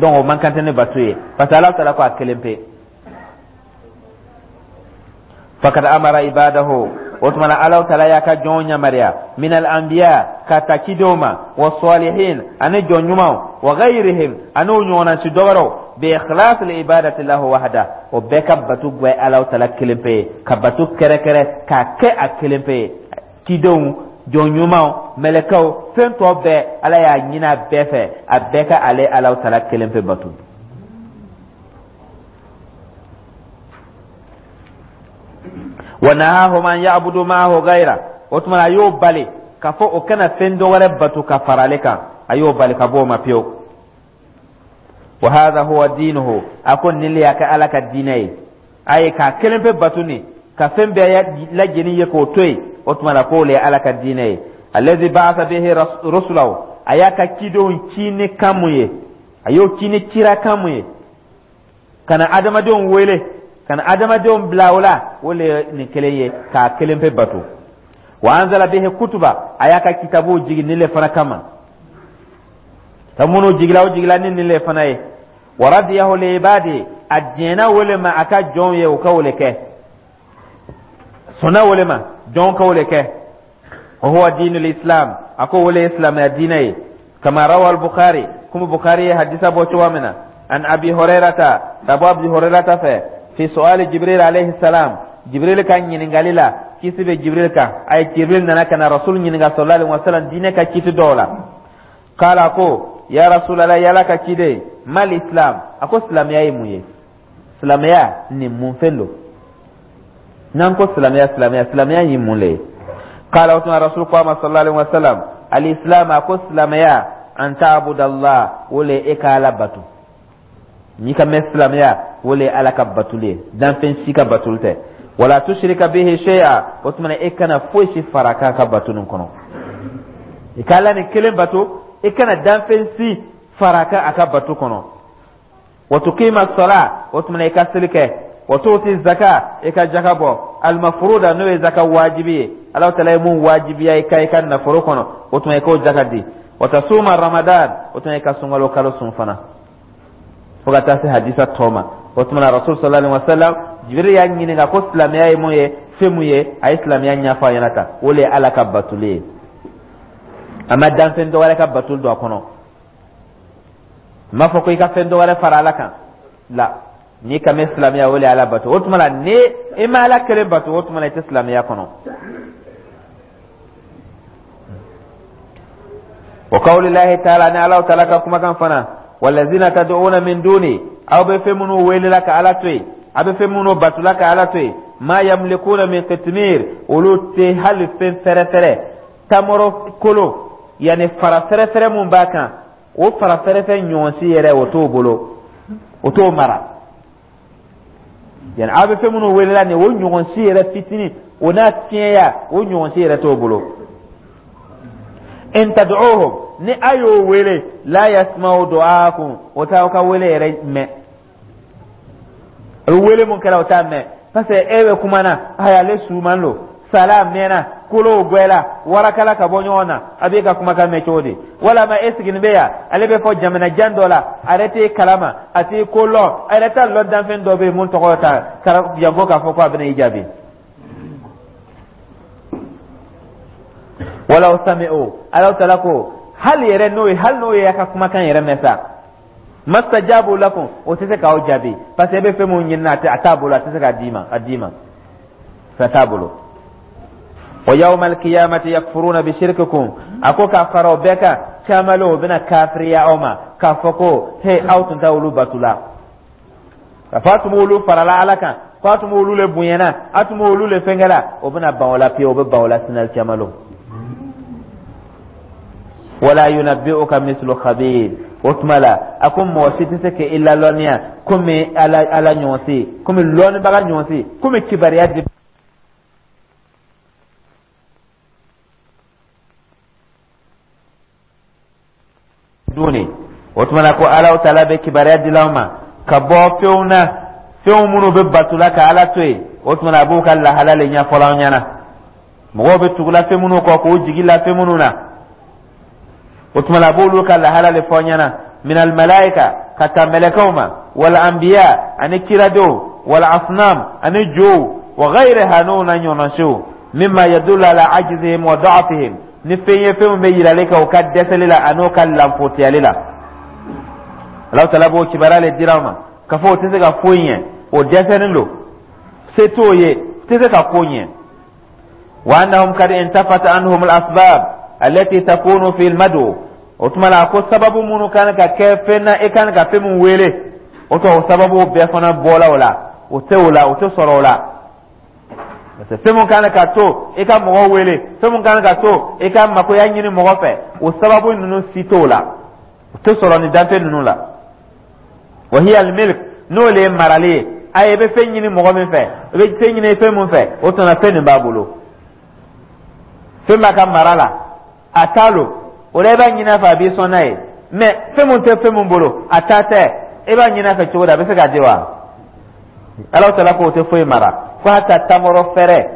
Donc o man kan tɛ ne bato ye, parce que Ala taala ko a kelen pe. Fakad amara ibadahu. O tuma na, Alaw taala y'a ka jɔnw yamaruya, min al anbiya, ka ta cidenw ma, wa salihin, ani jɔn ɲumanw, wa ghayrihim, ani o ɲɔgɔnna si dɔwɛrɛw, bi ikhlas al ibadati lahu wahda. O bɛɛ ka bato gwɛ Alaw taala kelen pe ye, ka bato kɛrɛkɛrɛ k'a kɛ a kelen pe ye. Cidenw, jɔn ɲumanw, mɛlɛkɛw, fɛn tɔ bɛɛ, Ala y'a ɲini a bɛɛ fɛ, a bɛɛ ka ale Alaw taala kelen pe bato. Wa nahahum an ya'budu ma'ahu ghayra. O tuma a y'o bali k'a fɔ o kana fɛn dɔ wɛrɛ bato ka fara ale kan. A y'o bali ka bɔ o ma pewu. Wa hadha huwa dinuhu. A ko nin le y'a kɛ Ala ka diinɛ ye, a ye k'a kelen pe bato nin ka fɛn bɛɛ lajɛlen ye k'o to yen. O tuma na, k'o le ye Ala ka diinɛ ye, allazi ba'atha bihi rusulahu. A y'a ka cidenw ci ni kan mun ye, a y'o ci ni cira kan mun ye ka na adamadenw wele, ka na adamadenw bila o la, o le ye nin kelen ye, k'a kelen pe bato. Wa anzala bihi kutuba. A y'a ka kitabuw jigin nin le fana kama. Ka minnu jigila, o jigila ni nin le fana ye. Wa radiyahu li ibadi. A diɲɛna o le ma a ka jɔnw ye, o ka o le kɛ. Sɔnna o le ma, jɔnw ka o le kɛ. Wa huwa dinul islam. A ko o le ye silamɛya diinɛ ye. Kama rawa al-Bukhari, komi Bukhari ye hadisa bɔ cogoya min na, an Abi Hurairata, ka bɔ Abi Hurairata fɛ, fi su'ali Jibril alayhi salam, Jibril ka ɲininkali la, kisi bɛ Jibril kan. A ye Jibril nana ka na Rasul ɲininka sallallahu alaihi wasallam diinɛ ka kiti dɔw la. Kala ko: ya Rasulallah, yala ka ciden, mal islam? A ko silamɛya ye mun ye? Silamɛya nin mun fɛn don? N'an ko silamɛya, silamɛya, silamɛya ye mun le ye? Kala, o tuma Rasul ko a ma sallallahu alaihi wasallam: al islam, a ko silamɛya, an ta'budallah, o le e ka Ala bato. N'i ka mɛn silamɛya, o le ye Ala ka batuli ye, danfɛn si ka batuli tɛ. Wala tushrika bihi shay'a. O tuma e kana foyi si fara k'a ka bato nin kɔnɔ. I ka Ala ni kelen bato, i kana danfɛn si fara kan a ka bato kɔnɔ. Wa tuqima sala. O tuma i ka seli kɛ. Wa tu'ti zaka, i ka jaka bɔ, almafruda, n'o ye zaka wajibi ye, Ala taala ye mun wajibiya i ka i ka nafolo kɔnɔ, o tuma i k'o jaka di. Wa tasuma ramadan. O tuma i ka sunkalo kalo sun fana, fo ka taa se hadisa tɔ ma. O tuma na, Rasul sallallahu alaihi wasallam, Jibril y'a ɲininka ko silamɛya ye mun ye, fɛn mun ye. A ye silamɛya ɲɛfɔ a ɲɛna tan. O le ye Ala ka batuli ye. A ma danfɛn dɔ wɛrɛ ka batuli don a kɔnɔ. N m'a fɔ ko i ka fɛn dɔ wɛrɛ fara Ala kan la. N'i ka mɛn silamɛya, o le ye Ala bato. O tuma la, ni i ma Ala kelen bato, o tuma la i tɛ silamɛya kɔnɔ. Wa qawlillahi ta'ala, ni Ala ta'ala ka kumakan fana: walazina tad'una min duni, aw bɛ fɛn minnu welela ka Ala to yen, a bɛ fɛn minnu batula ka Ala to yen, ma yamlikuna min qitmir, olu tɛ hali fɛn fɛrɛfɛrɛ. Tamaro kolo, yani fara fɛrɛfɛrɛ mun b'a kan, o fara fɛrɛfɛrɛ ɲɔgɔn si yɛrɛ o t'o bolo, o t'o mara. Yani aw bɛ fɛn minnu welela nin, o ɲɔgɔn si yɛrɛ fitinin, o n'a tiɲɛya, o ɲɔgɔn si yɛrɛ t'o bolo. In tad'uhum, ni a y'o wele, la yasma'u du'aakum, o t'aw ka wele yɛrɛ mɛn. A bɛ wele mun kɛra, o t'a mɛn, parce que e bɛ kuma na, ayi, ale suman lo, sala mɛnna, kolow gwɛla, warakala ka bɔ ɲɔgɔn na, a b'e ka kumakan mɛn cogo di? Walama e sigilen bɛ yan, ale bɛ fɔ jamana jan dɔ la, a yɛrɛ t'e kalama, a t'i ko lɔn, a yɛrɛ t'a lɔn danfɛn dɔ bɛ yen mun tɔgɔ ta janko k'a fɔ ko a bɛna i jaabi. Walaw sami'u, Alahu taala ko hali yɛrɛ n'o ye, hali n'o ye a ka kumakan yɛrɛ mɛn sa, mastajabu lakum, o tɛ se k'aw jaabi, parce que e bɛ fɛn mun ɲini, a t'a bolo, a tɛ se k'a d'i ma, a d'i ma, fɛn t'a bolo. Wa yawma alqiyamati yakfuruna bi shirkikum, a ko k'a fara o bɛɛ kan, caman o bɛna kafiriya aw ma k'a fɔ ko he, aw tun tɛ olu batu la, k'a fɔ a tun b'olu farala Ala kan, ko a tun b'olu le bonyana, a tun b'olu le fɛnkɛla, o bɛna ban o la pewu, o bɛ ban o la sinali caman. Wala yunabbi'uka mislu khabir, o tuma la a ko mɔgɔ si tɛ se k'i lalɔnniya komi Ala, Ala ɲɔgɔn si, komi lɔnnibaga ɲɔgɔn si, komi kibaruya di duni. O tuma na ko Alahu taala bɛ kibaruya di aw ma ka bɔ fɛnw na, fɛnw minnu bɛ batula ka Ala to yen. O tuma na a b'u ka lahala le ɲɛfɔ aw ɲɛna, mɔgɔw bɛ tugula fɛn minnu kɔ, k'u jigi la fɛn minnu na. O tuma na a b'olu ka lahala le fɔ ɲɛna, minal malaika, ka taa mɛlɛkɛw ma, wal anbiya, ani kiradenw, wal asnam, ani jow, wa ghayriha, n'o na ɲɔgɔnna, mimma yadullu ala ajzihim wa da'fihim, ni fɛn ye fɛn min bɛ yirali kɛ u ka dɛsɛli la an'u ka lanfotiyali la. Alahu taala b'o kibaruya le dira ma k'a fɔ o tɛ se ka foyi ɲɛ, o dɛsɛlen don, se t'o ye, tɛ se ka ko ɲɛ. Wa annahum kad intafat anhum al asbab allati takunu fi al madu, o tuma la a ko sababu minnu kan ka kɛ fɛn na, e kan ka fɛn min wele, o tɔ o sababu bɛɛ fana bɔla o la, o tɛ o la, o tɛ sɔrɔ o la. Parce que fɛn mun kan ka to i ka mɔgɔ wele, fɛn mun kan ka to i ka makoya ɲini mɔgɔ fɛ, o sababu ninnu si t'o la, o tɛ sɔrɔ ni danfɛn ninnu la. Wa hiya al-milk, n'o le ye marali ye, ayi, i bɛ fɛn ɲini mɔgɔ min fɛ, i bɛ fɛn ɲini fɛn mun fɛ, o tuma fɛn nin b'a bolo, fɛn b'a ka mara la, a t'a lo, o la i b'a ɲini a fɛ, a b'i sɔn n'a ye. Mais fɛn mun tɛ fɛn mun bolo, a ta tɛ, e b'a ɲini a fɛ cogo di, a bɛ se k'a di wa? Alahu taala ko o tɛ foyi mara, ko hata tamaro fɛrɛ,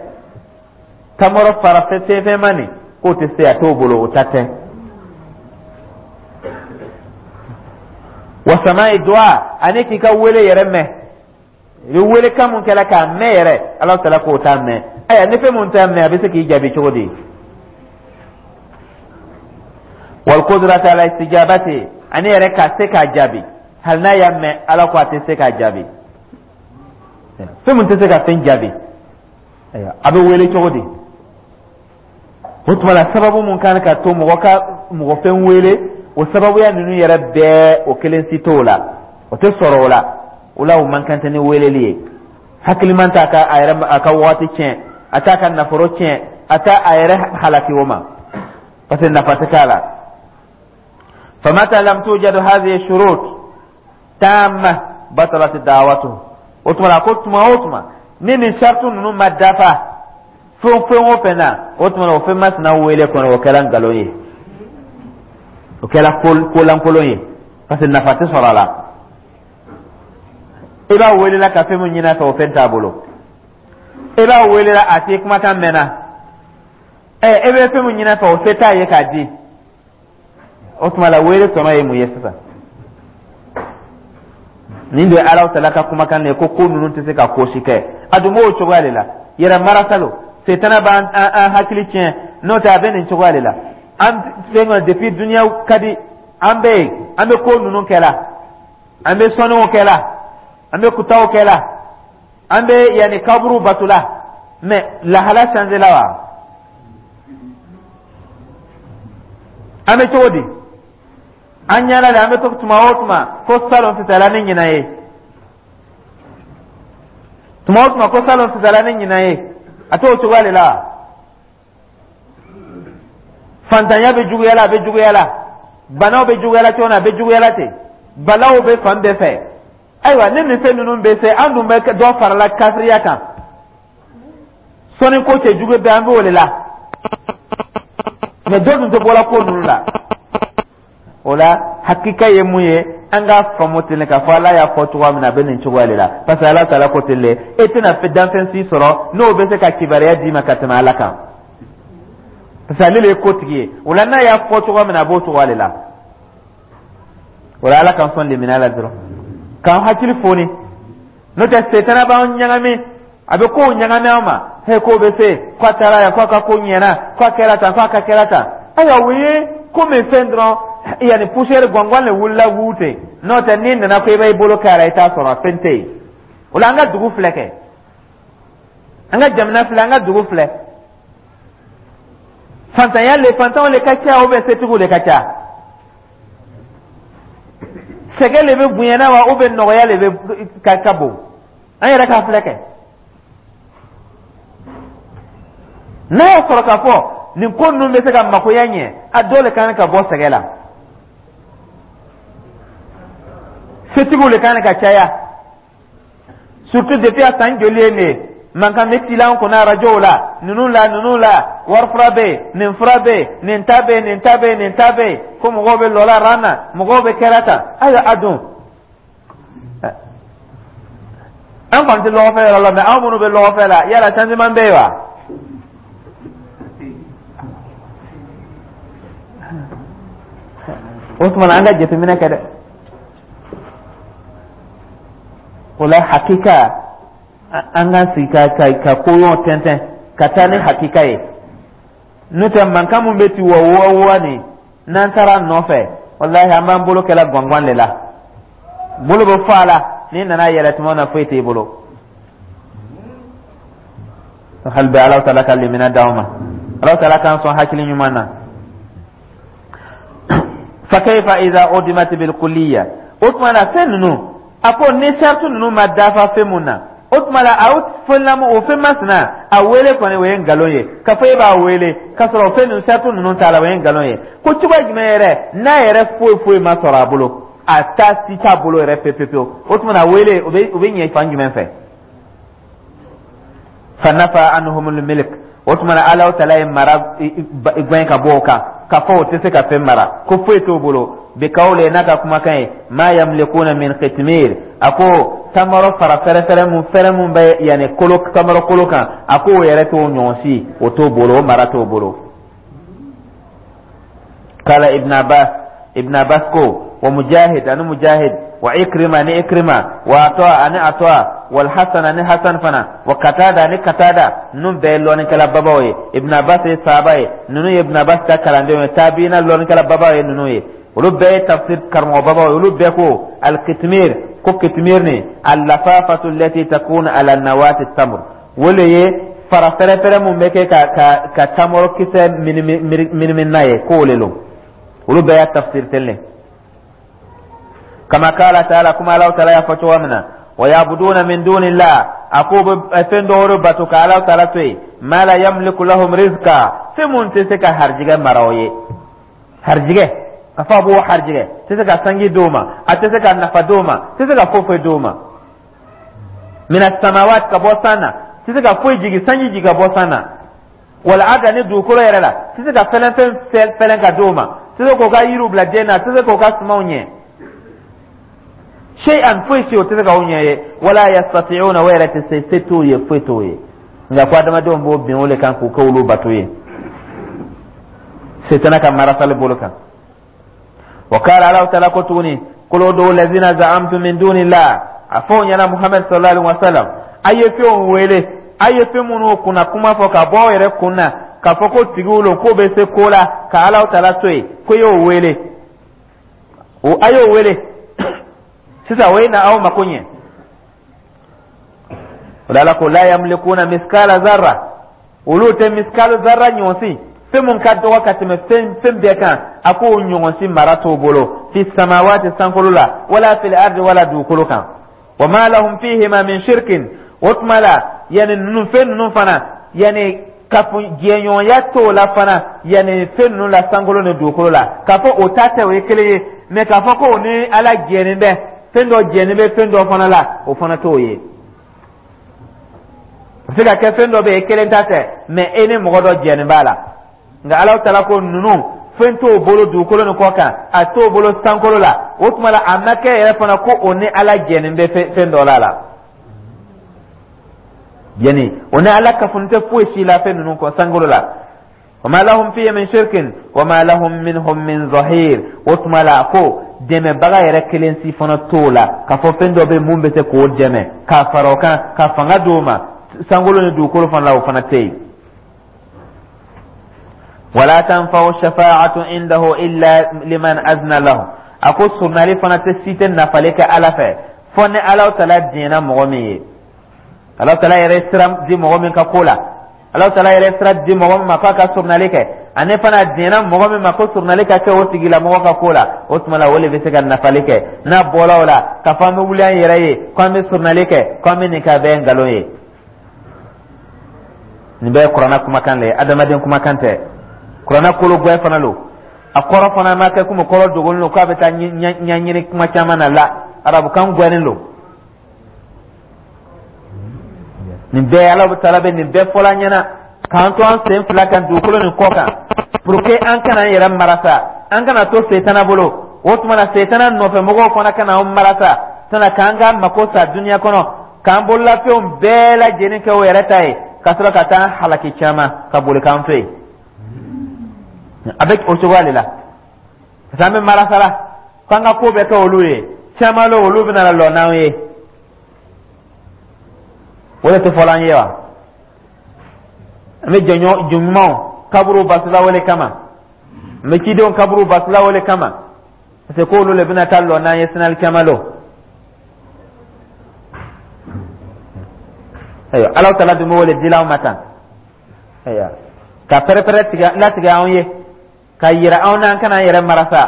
tamaro fara fɛn nin, k'o tɛ se, a t'o bolo, o ta tɛ. Wa sama'i du'a, ani k'i ka wele yɛrɛ mɛn, i bɛ wele kan mun kɛla k'a mɛn yɛrɛ, Alahu taala k'o t'a mɛn. Ayiwa, ni fɛn mun t'a mɛn, a bɛ se k'i jaabi cogo di? Wal qudrata ala istijabati, ani yɛrɛ ka se k'a jaabi, hali n'a y'a mɛn, Ala ko a tɛ se k'a jaabi. Fɛn mun tɛ se ka fɛn jaabi, a bɛ wele cogo di? O tuma la sababu mun kan ka to mɔgɔ ka mɔgɔ fɛn wele, o sababuya ninnu yɛrɛ bɛɛ, o kelen si t'o la, o tɛ sɔrɔ o la. O la o man kan tɛ ni weleli ye. Hakiliman t'a ka a yɛrɛ a ka waati tiɲɛ, a t'a ka nafolo tiɲɛ, a t'a a yɛrɛ halaki o ma, parce que nafa tɛ k'a la. Famata lam tujadu hadhihi shurut tamma batalat da'watuhu, o tuma la ko tuma o tuma ni nin saratu ninnu ma dafa fɛn fɛn o fɛn na, o tuma la o fɛn masina wele kɔnɔ, o kɛra nkalon ye, o kɛra kolankolon ye, parce que nafa tɛ sɔrɔ a la. I b'a welela ka fɛn min ɲini a fɛ, o fɛn t'a bolo. I b'a welela, a t'i kumakan mɛnna. Ɛ, e bɛ fɛn min ɲini a fɛ, o se t'a ye k'a di. O tuma la wele tɔnɔ ye mun ye sisan? Nin de ye Alahu taala ka kumakan de ye ko ko ninnu tɛ se ka ko si kɛ. A dun b'o cogoya de la, yɛrɛ marasa lo, setana b'an an hakili tiɲɛ, n'o tɛ a bɛ nin cogoya de la. An fɛn kɔnɔ depuis duniya ka di, an bɛ yen, an bɛ ko ninnu kɛ la, an bɛ sɔnniw kɛ la, an bɛ kutaw kɛ la, an bɛ yanni kaburu bato la, mais lahala changé la wa? An bɛ cogo di? An ɲɛna de, an bɛ to tuma o tuma ko salon fisayala ni ɲinan ye, tuma o tuma ko salon fisayala ni ɲinan ye, a t'o cogoya de la. Fantanya bɛ juguya la, a bɛ juguya la. Banaw bɛ juguya la cogo min na, a bɛ juguya la ten. Balaw bɛ fan bɛɛ fɛ. Ayiwa, ni nin fɛn ninnu bɛ se, an dun bɛ dɔ farala kafiriya kan. Sɔnni ko cɛjugu bɛɛ, an b'o de la. Mɛ dɔ dun tɛ bɔla ko ninnu la. O la, hakika ye mun ye? An k'a faamu ten k'a fɔ Ala y'a fɔ cogoya min na, a bɛ nin cogoya de la, parce que Ala taala ko ten de. E tɛna fɛn danfɛn si sɔrɔ n'o bɛ se ka kibaruya d'i ma ka tɛmɛ Ala kan, parce que ale de ye kotigi ye. O la, n'a y'a fɔ cogoya min na, a b'o cogoya de la. O la, Ala k'an sɔn limaniya la dɔrɔn, k'an hakili foni. N'o tɛ, setana b'an ɲagami, a bɛ kow ɲagami an ma. He, k'o bɛ se k'a taara yan, k'a ka ko ɲɛna, k'a kɛra tan, k'a ka kɛra tan. Ayiwa, o ye komi fɛn dɔrɔn, yanni poussière gɔngɔn de wulila wu ten. N'o tɛ, n'i nana ko i b'i bolo k'a la, i t'a sɔrɔ, a fɛn tɛ yen. O la, an ka dugu filɛ kɛ, an ka jamana filɛ, an ka dugu filɛ. Fantanya le, fantanw le ka ca, ou bien setigiw le ka ca? Sɛgɛ le bɛ bonyana wa, ou bien nɔgɔya le bɛ ka ka bon? An yɛrɛ k'a filɛ kɛ. N'a y'a sɔrɔ k'a fɔ nin ko ninnu bɛ se ka makoya ɲɛ, a dɔw le kan ka bɔ sɛgɛ la, setigiw le kan ka caya. Surtout depuis a san joli ye nin ye, mankan bɛ ci la an kunna arajow la, ninnu la, ninnu la, wari fura bɛ yen, nin fura bɛ yen, nin ta bɛ yen, nin ta bɛ yen, nin ta bɛ yen, ko mɔgɔw bɛ lɔla ran na, mɔgɔw bɛ kɛra tan. Ayiwa, a dun, an kɔni tɛ lɔgɔfɛ yɔrɔ la, mɛ anw minnu bɛ lɔgɔfɛ la, yala changement bɛ yen wa? O tuma na, an ka jateminɛ kɛ dɛ. O la, hakika, an ka sigi ka ka ka koɲɔgɔn tɛntɛn ka taa ni hakika ye. N'o tɛ, mankan min bɛ ci wa wa wa nin, n'an taara a nɔfɛ, walahi, an b'an bolo kɛla gɔngɔn de la. Bolo bɛ fɔ a la, n'i nana yɛlɛ tuma na, foyi t'e bolo. Hali bi, Ala taala ka limaniya d'anw ma, Ala taala k'an sɔn hakili ɲuman na. Fa kayfa idha udimat bil kulliya? O tuma na, fɛn ninnu, a ko ni sarati ninnu ma dafa fɛn mun na, o tuma la, a fɛn lamɔ, o fɛn masina, a wele kɔni, o ye nkalon ye. K'a fɔ e b'a wele k'a sɔrɔ o fɛn ninnu, sarati ninnu t'a la, o ye nkalon ye. Ko cogoya jumɛn yɛrɛ, n'a yɛrɛ foyi foyi ma sɔrɔ a bolo, a ta si t'a bolo yɛrɛ pewu pewu, o tuma na, wele o bɛ o bɛ ɲɛ fan jumɛn fɛ? Fa nafa anhumul milk. O tuma na, Ala taala ye mara gɛn ka bɔ o kan, k'a fɔ o tɛ se ka fɛn mara, ko foyi t'o bolo. Bi kawle, n'a ka kumakan ye, ma yamlikuna min qitmir. A ko tamaro fara fɛrɛfɛrɛ mun fɛrɛ mun bɛ yanni kolo, tamaro kolo kan, a ko o yɛrɛ t'o ɲɔgɔn si, o t'o bolo, o mara t'o bolo. Kala Ibn Abbas, Ibn Abbas ko, wa Mujahid, ani Mujahid, wa Ikrima, ani Ikrima, wa Atwa, ani Atwa, wal Hasan, ani Hasan fana, wa Katada, ani Katada. Ninnu bɛɛ ye lɔnnikɛla babaw ye. Ibn Abbas ye sahaba ye, ninnu ye Ibn Abbas ka kalandenw ye, tabiina lɔnnikɛla babaw ye ninnu ye. Olu bɛɛ ye tafsir karamɔgɔ babaw ye. Olu bɛɛ ko al-kitmir, ko kitmir ni al-lafafatu allati takunu ala nawati tamr, o le ye fara fɛrɛfɛrɛ mun bɛ kɛ ka ka ka tamaro kisɛ minimi n'a ye, k'o le lo. Olu bɛɛ y'a tafsir ten le. Kama kala taala, kuma Alahu taala y'a fɔ cogo min na, wa yabuduna min dunillah, a ko bɛ fɛn dɔ wɛrɛ bato ka Alahu taala to yen, ma la yamliku lahum rizqa, fɛn mun tɛ se ka harijigɛ mara o ye. Harijigɛ, ka fɔ a b'o harijigɛ, tɛ se ka sanji d'o ma, a tɛ se ka nafa d'o ma, tɛ se ka foyi foyi d'o ma. Mina samawat, ka bɔ san na, tɛ se ka foyi jigi, sanji jigi ka bɔ san na. Wal ardi, ani dugukolo yɛrɛ la, tɛ se ka fɛlɛn fɛn fɛlɛn ka d'o ma, tɛ se k'o ka yiriw bila den na, tɛ se k'o ka sumanw ɲɛ. Shay'an, foyi si o tɛ se k'aw ɲɛ ye. Wala yastati'una, o yɛrɛ tɛ se, se t'o ye, foyi t'o ye. Nka ko adamadenw b'o bin o le kan k'u kɛ olu bato ye, setana ka marasali bolo kan. Wa kala, Alahu taala ko tuguni, qul ud'u lazina za'amtum min dunillah. A fɔ o ɲɛna, Muhammed sallallahu alaihi wa sallam, a ye fɛnw wele, a ye fɛn minnu kunna kuma fɔ ka bɔ aw yɛrɛ kun na, k'a fɔ ko tigiw lo, k'o bɛ se ko la ka Alahu taala to yen, ko y'o wele, o a y'o wele sisan, o ye na aw mako ɲɛ. O la, Ala ko la yamlikuna miskala zarra, olu tɛ miskala zarra ɲɔgɔn si, fɛn mun ka dɔgɔ ka tɛmɛ fɛn fɛn bɛɛ kan, a k'o ɲɔgɔn si mara t'o bolo, fi samawati, sankolo la, wala fil ardi, wala dugukolo kan. Wa ma lahum fihima min shirkin. O tuma la, yanni ninnu fɛn ninnu fana, yanni Kafo jɛɲɔgɔnya t'o la fana, yanni fɛn ninnu la, sankolo ni dugukolo la, k'a fɔ o ta tɛ, o ye kelen ye. Mɛ k'a fɔ ko o ni Ala jɛnen bɛ fɛn dɔ, jɛnen bɛ fɛn dɔ fana la, o fana t'o ye. O bɛ se ka kɛ fɛn dɔ bɛ yen, kelen ta tɛ, mɛ e ni mɔgɔ dɔ jɛnen b'a la. Nka Ala taala ko ninnu, fɛn t'o bolo dugukolo ni kɔ kan, a t'o bolo sankolo la. O tuma la, a ma kɛ yɛrɛ fana ko o ni Ala jɛnen bɛ fɛn dɔ la la Yani o ni Ala kafoni tɛ foyi si la fɛn ninnu kɔ sankolo la. Wa lahum fihi min shirkin wa ma lahum minhum min zahir. O tuma la, ko dɛmɛbaga yɛrɛ kelen si fana t'o la, k'a fɔ fɛn dɔ bɛ mun bɛ se k'o dɛmɛ k'a fara o kan, ka fanga d'o ma sankolo ni dugukolo fana la, o fana tɛ yen. Wala tanfa'u shafa'atu indahu illa liman azna lahu. A ko surnali fana tɛ si tɛ nafali kɛ Ala fɛ, fɔ ni Ala taala diɲɛna mɔgɔ min ye. Ala taala yɛrɛ sira di mɔgɔ min ka ko la, Ala taala yɛrɛ sira di mɔgɔ min ma k'a ka surnali kɛ, ani fana diɲɛna mɔgɔ min ma ko surnali ka kɛ o tigilamɔgɔ ka ko la, o tuma la, o de bɛ se ka nafali kɛ. N'a bɔra o la, k'a fɔ an bɛ wuli an yɛrɛ ye ko an bɛ surnali kɛ, ko an bɛ nin kɛ, a bɛɛ ye nkalon ye. Nin bɛɛ ye Kuranna kumakan de ye, adamaden kumakan tɛ. Kuranna kolo gwɛ fana lo, a kɔrɔ fana ma kɛ komi kɔrɔ dogolen lo k'a bɛ taa ɲɛɲini kuma caman na la, arabukan gwɛnnen lo. Nin bɛɛ, Ala taala bɛ nin bɛɛ fɔla an ɲɛna k'an to an sen fila kan dugukolo nin kɔ kan, pour que an kana an yɛrɛ marasa, an kana to setana bolo. O tuma na, setana nɔfɛ mɔgɔw fana kana an marasa tana k'an ka mako sa duniya kɔnɔ, k'an bololafɛnw bɛɛ lajɛlen kɛ o yɛrɛ ta ye, ka sɔrɔ ka taa halaki caman ka boli k'an to yen. A bɛ o cogoya de la, parce que an bɛ marasa la k'an ka ko bɛɛ kɛ olu ye caman la, olu bɛna lɔ n'an ye. O de tɛ fɔlɔ an ye wa? An bɛ jɔn ɲumanw kaburu basila wele kama, an bɛ cidenw kaburu basila wele kama, parce que k'olu de bɛna taa lɔ n'an ye sinali caman lɔ. Ayiwa, Ala taala dun bɛ wele dila anw ma tan, ayiwa, ka pɛrɛpɛrɛ tigɛ latigɛ anw ye, ka yira anw na an kana an yɛrɛ marasa.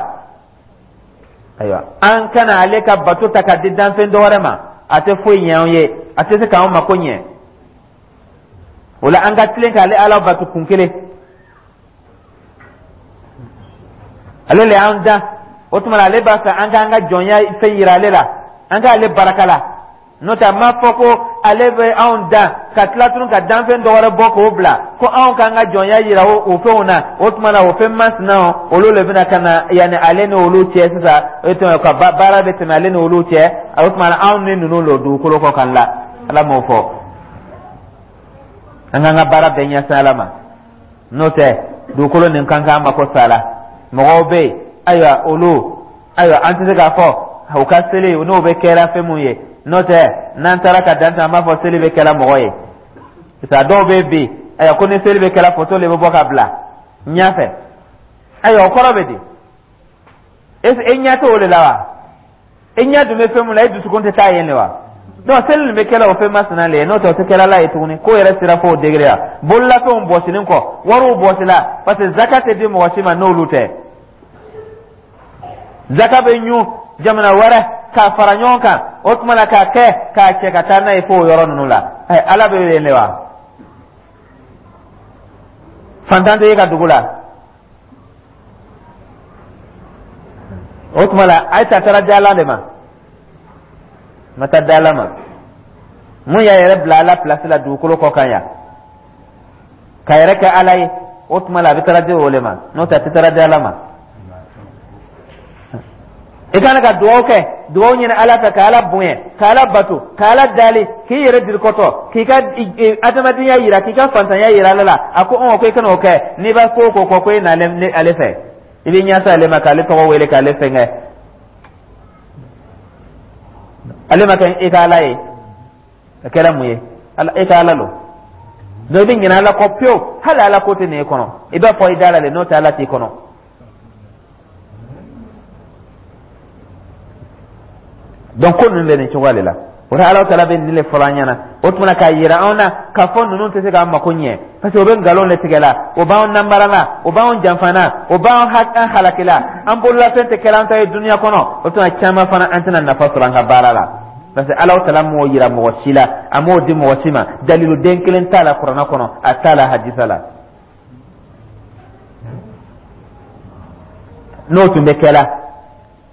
Ayiwa, an kana ale ka bato ta ka di danfɛn dɔ wɛrɛ ma, a tɛ foyi ɲɛ anw ye, a tɛ se k'anw mako ɲɛ. O la, an ka tilen k'ale Ala bato kun kelen. Ale le y'an dan. O tuma na, ale b'a fɛ an k'an ka jɔnya fɛn yira ale la, an k'ale baraka la. N'o tɛ, a ma fɔ ko ale bɛ anw dan ka tila tun ka danfɛn dɔ wɛrɛ bɔ k'o bila ko anw k'an ka jɔnya yira o fɛnw na. O tuma na, o fɛn masinaw, olu le bɛna ka na yanni ale ni olu cɛ sisan. O tuma, ka baara bɛ tɛmɛ ale ni olu cɛ. O tuma na, anw ni ninnu lo dugukolo kɔ kan la. Ala m'o fɔ. An k'an ka baara bɛɛ ɲɛsin Ala ma. N'o tɛ, dugukolo nin kan k'an mako sa la. Mɔgɔw bɛ yen, ayiwa, olu, ayiwa, an tɛ se k'a fɔ u ka seli n'o bɛ kɛra fɛn mun ye. N'o tɛ, n'an taara ka dan an b'a fɔ seli bɛ kɛra mɔgɔ ye, parce que a dɔw bɛ bi, ayiwa, ko ni seli bɛ kɛra, foto de bɛ bɔ ka bila ɲɛfɛ. Ayiwa, o kɔrɔ bɛ di? E ɲɛ t'o de la wa? E ɲɛ dun bɛ fɛn mun na, e dusukun tɛ taa yen de wa? Donc seli nin bɛ kɛla o fɛn masina le ye. N'o tɛ, o tɛ kɛla la ye tuguni. Ko yɛrɛ sera fo o degré la, bololafɛnw bɔsinin kɔ, wariw bɔsila, parce que zaka tɛ di mɔgɔ si ma n'olu tɛ. Zaka bɛ ɲun jamana wɛrɛ k'a fara ɲɔgɔn kan, o tuma na, k'a kɛ k'a cɛ ka taa n'a ye fo o yɔrɔ ninnu la. Ɛ, Ala bɛ yen de wa? Fantan tɛ e ka dugu la. O tuma la, a ye ta taara di Ala de ma, ma taa di Ala ma. Mun y'a yɛrɛ bila Ala pilasi la dugukolo kɔ kan yan, ka yɛrɛ kɛ Ala ye, o tuma la, a bɛ taara di o de ma. N'o tɛ, a tɛ taara di Ala ma. I kana ka dugawu kɛ, dugawu ɲini Ala fɛ, ka Ala bonya, ka Ala bato, ka Ala dali, k'i yɛrɛ dirikɔtɔ, k'i ka adamadenya yira, k'i ka fantanya yira Ala la. A ko ɔn, ko i kana o kɛ. N'i b'a ko ko kɔ ko e n'ale ale fɛ, i bɛ ɲɛsin ale ma, k'ale tɔgɔ wele, k'ale fɛngɛ. Ale ma kɛ i ka Ala ye, a kɛra mun ye? E ka Ala lo. Donc i bɛ ɲinɛ Ala kɔ pewu. Hali Ala ko tɛ nin ye kɔnɔ, i b'a fɔ i da la de. N'o tɛ, Ala t'i kɔnɔ. Donc ko ninnu bɛ nin cogoya de la. O la, Ala taala bɛ nin de fɔlɔ an ɲɛna. O tuma na, k'a yira anw na k'a fɔ ninnu tɛ se k'an mako ɲɛ, parce que o bɛ nkalon de tigɛ la, o b'anw nanbara la, o b'anw janfa na, o b'anw an halaki la. An bololafɛn tɛ kɛra an ta ye duniya kɔnɔ. O tuma caman fana, an tɛna nafa sɔrɔ an ka baara la. Parce que Alahu Taala m'o yira mɔgɔ si la, a m'o di mɔgɔ si ma. Dalilu den kelen t'a la kuranɛ kɔnɔ, a t'a la hadisa la. N'o tun bɛ kɛla,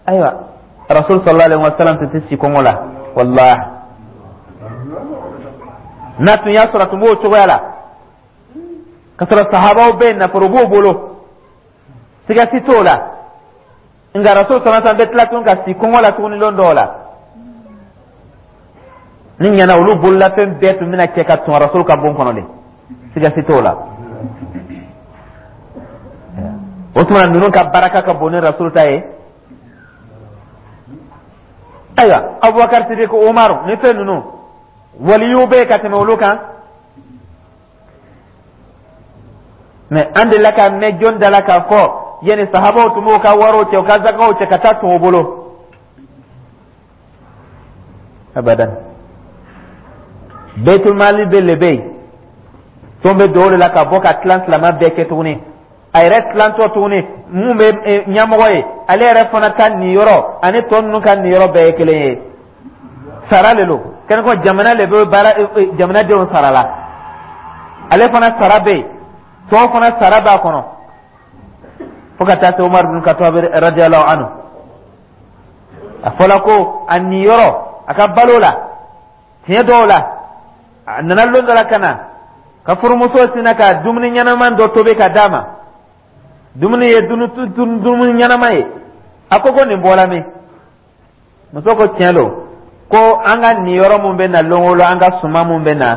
ayiwa, Rasul sallallahu alaihi wasallam tun tɛ si kɔngɔ la, walahi. N'a tun y'a sɔrɔ a tun b'o cogoya la, ka sɔrɔ sahabaw bɛ yen, nafolo b'o bolo, siga si t'o la. Nka Rasul sallallahu alaihi wasallam bɛ tila tun ka si kɔngɔ la tuguni lon dɔw la. Ni ɲɛna, olu bololafɛn bɛɛ tun bɛna cɛ ka tun Rasul ka bon kɔnɔ de, siga si t'o la. O tuma ninnu ka baraka ka bon ni Rasul ta ye. Ayiwa, Abubakar Sidik, Umaru ni fɛn ninnu, waliyuw bɛ yen ka tɛmɛ olu kan. Mɛ an delila ka mɛn jɔn da la k'a fɔ yanni sahabaw tun b'u ka wariw cɛ, u ka zakaw cɛ ka taa tun o bolo? Abadan. Bɛtulmali bɛ le bɛ yen, tɔn bɛ don o de la ka bɔ ka tilan silamɛ bɛɛ kɛ tuguni. A yɛrɛ tilantɔ tuguni, mun bɛ eh, ɲɛmɔgɔ ye, ale yɛrɛ fana ta niyɔrɔ ani tɔ ninnu ka niyɔrɔ bɛɛ ye kelen ye. Sara le lo kɛnɛ kɔ, jamana le bɛ baara eh, eh, jamanadenw sara la. Ale fana sara bɛ yen, tɔw fana sara b'a kɔnɔ, fo ka taa se Umar bin Khattab radiyallahu anhu, a fɔla ko a niyɔrɔ a ka balo la, tiɲɛ dɔw la, a nana lon dɔ la ka na ka furumuso sinna ka dumuni ɲɛnama dɔ tobi ka d'a ma. Dumuni ye dumuni ɲɛnama ye. A ko ko nin bɔra min? Muso ko tiɲɛ don, ko an ka niyɔrɔ mun bɛ na lon o lon, an ka suman mun bɛ na,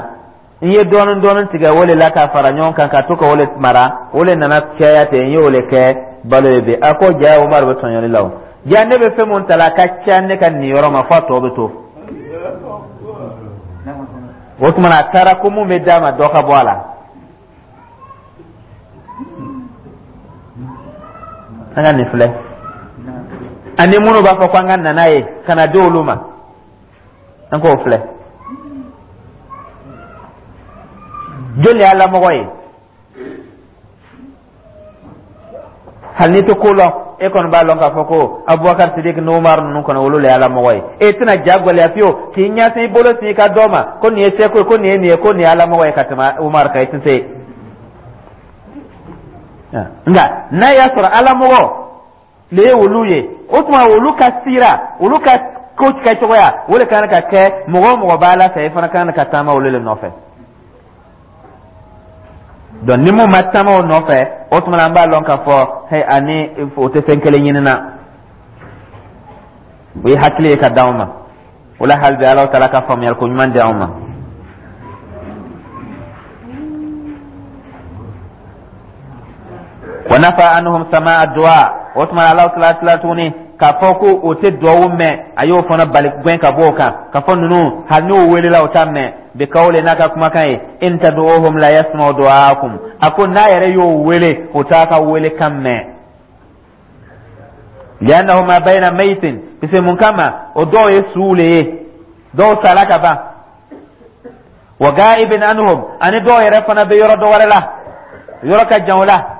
n ye dɔɔnin dɔɔnin tigɛ o le la k'a fara ɲɔgɔn kan ka to ka o le mara, o le nana caya ten, n y'o le kɛ balo ye bi. A ko ja, Umaru bɛ tɔɲɔli la. O ja, ne bɛ fɛn mun ta la, a ka ca ne ka niyɔrɔ ma, f'a tɔ bɛ to. O tuma na a taara ko mun bɛ d'a ma, dɔ ka bɔ a la. An ka nin filɛ, ani minnu b'a fɔ ko an ka na n'a ye ka na di olu ma, an k'o filɛ. Joli y'a lamɔgɔ ye? Hali n'i tɛ ko lɔn, e kɔni b'a lɔn k'a fɔ ko Abubakar Sidik ni Umar ninnu kɔni, olu le y'a lamɔgɔ ye. E tɛna ja gɛlɛya fiyewu k'i ɲɛsin i bolo sin i ka dɔ ma ko nin ye seko ye, ko nin ye nin ye, ko nin ye alamɔgɔ ye ka tɛmɛ Umar kan. I tɛ se. Nka n'a y'a sɔrɔ alamɔgɔ le ye olu ye, o tuma olu ka sira, olu ka ko kɛcogoya, o de kan ka kɛ. Mɔgɔ o mɔgɔ b'a la fɛ, i fana kan ka taama olu le nɔfɛ. Donc ni mun ma taama o nɔfɛ, o tuma an b'a lɔn k'a fɔ hey, ani o tɛ fɛn kelen ɲini na. O ye hakili ye ka d'anw ma. O la, hali bi Alahu Taala ka faamuyali ko ɲuman di anw ma. Wa nafa anhum samaa du'a. O tuma Alahu Taala tila tuguni k'a fɔ ko o tɛ duwawu mɛn, a y'o fana bali gɛn ka bɔ o kan, k'a fɔ ninnu, hali n'o welela, o t'a mɛn. Bi kawle, n'a ka kumakan ye, in tad'uhum la yasma'u du'aakum. A ko n'a yɛrɛ y'o wele, o t'a ka wele kan mɛn. Li'annahu ma bayna maytin, parce mun kama, o dɔw ye suw le ye, dɔw sala ka ban. Wa ga'ibin anhum, ani dɔw yɛrɛ fana bɛ yɔrɔ dɔ wɛrɛ la, yɔrɔ ka jan o la.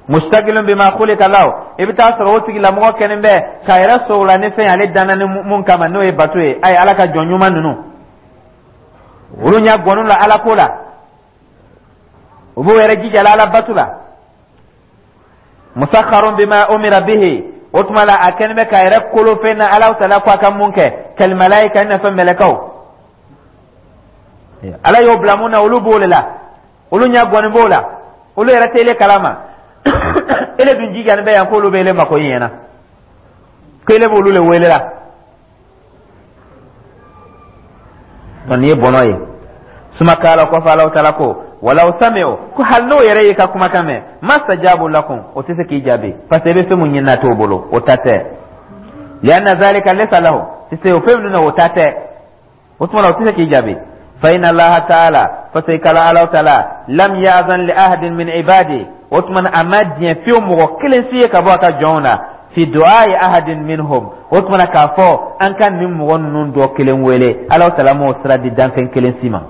Mustaqilun bima khuliqa lahu, i bɛ taa sɔrɔ o tigilamɔgɔ kɛlen bɛ k'a yɛrɛ sɔrɔ la ni fɛn ale danna ni mun kama, n'o ye bato ye. A ye Ala ka jɔn ɲuman ninnu, olu ɲɛ gɔnnu la Ala ko la, u b'u yɛrɛ jija la Ala bato la. Musakharun bima umira bihi, o tuma la a kɛlen bɛ k'a yɛrɛ kolo fɛn na Ala Taala ko a ka mun kɛ. Kal malayika, i n'a fɔ mɛlɛkɛw, Ala y'o bila mun na, olu b'o de la, olu ɲɛ gɔnni b'o la, olu yɛrɛ tɛ ele kalama. Ele dun jijani bɛ yan k'olu bɛ ele mako ɲɛna, ko ele b'olu le wele la. Nin ye bɔnɔ ye. Suma kala, kɔfɛ Alahu Taala ko walaw sami'u, ko hali n'o yɛrɛ y'i ka kumakan mɛn, mastajabu lakum, o tɛ se k'i jaabi, parce que i bɛ fɛn mun ɲini na t'o bolo, o ta tɛ. Lianna zalika laysa lahu, parce que o fɛn minnu na, o ta tɛ. O tuma na o tɛ se k'i jaabi. Fa inna Allaha ta'ala, parce que kala Alahu Taala lam ya'zan li ahadin min ibadi, o tuma na a ma diɲɛ fiyewu mɔgɔ kelen si ye ka bɔ a ka jɔnw na, fi du'ai ahadin minhum, o tuma na k'a fɔ an ka nin mɔgɔ ninnu dɔ kelen wele, Alahu Taala m'o sira di danfɛn kelen si ma,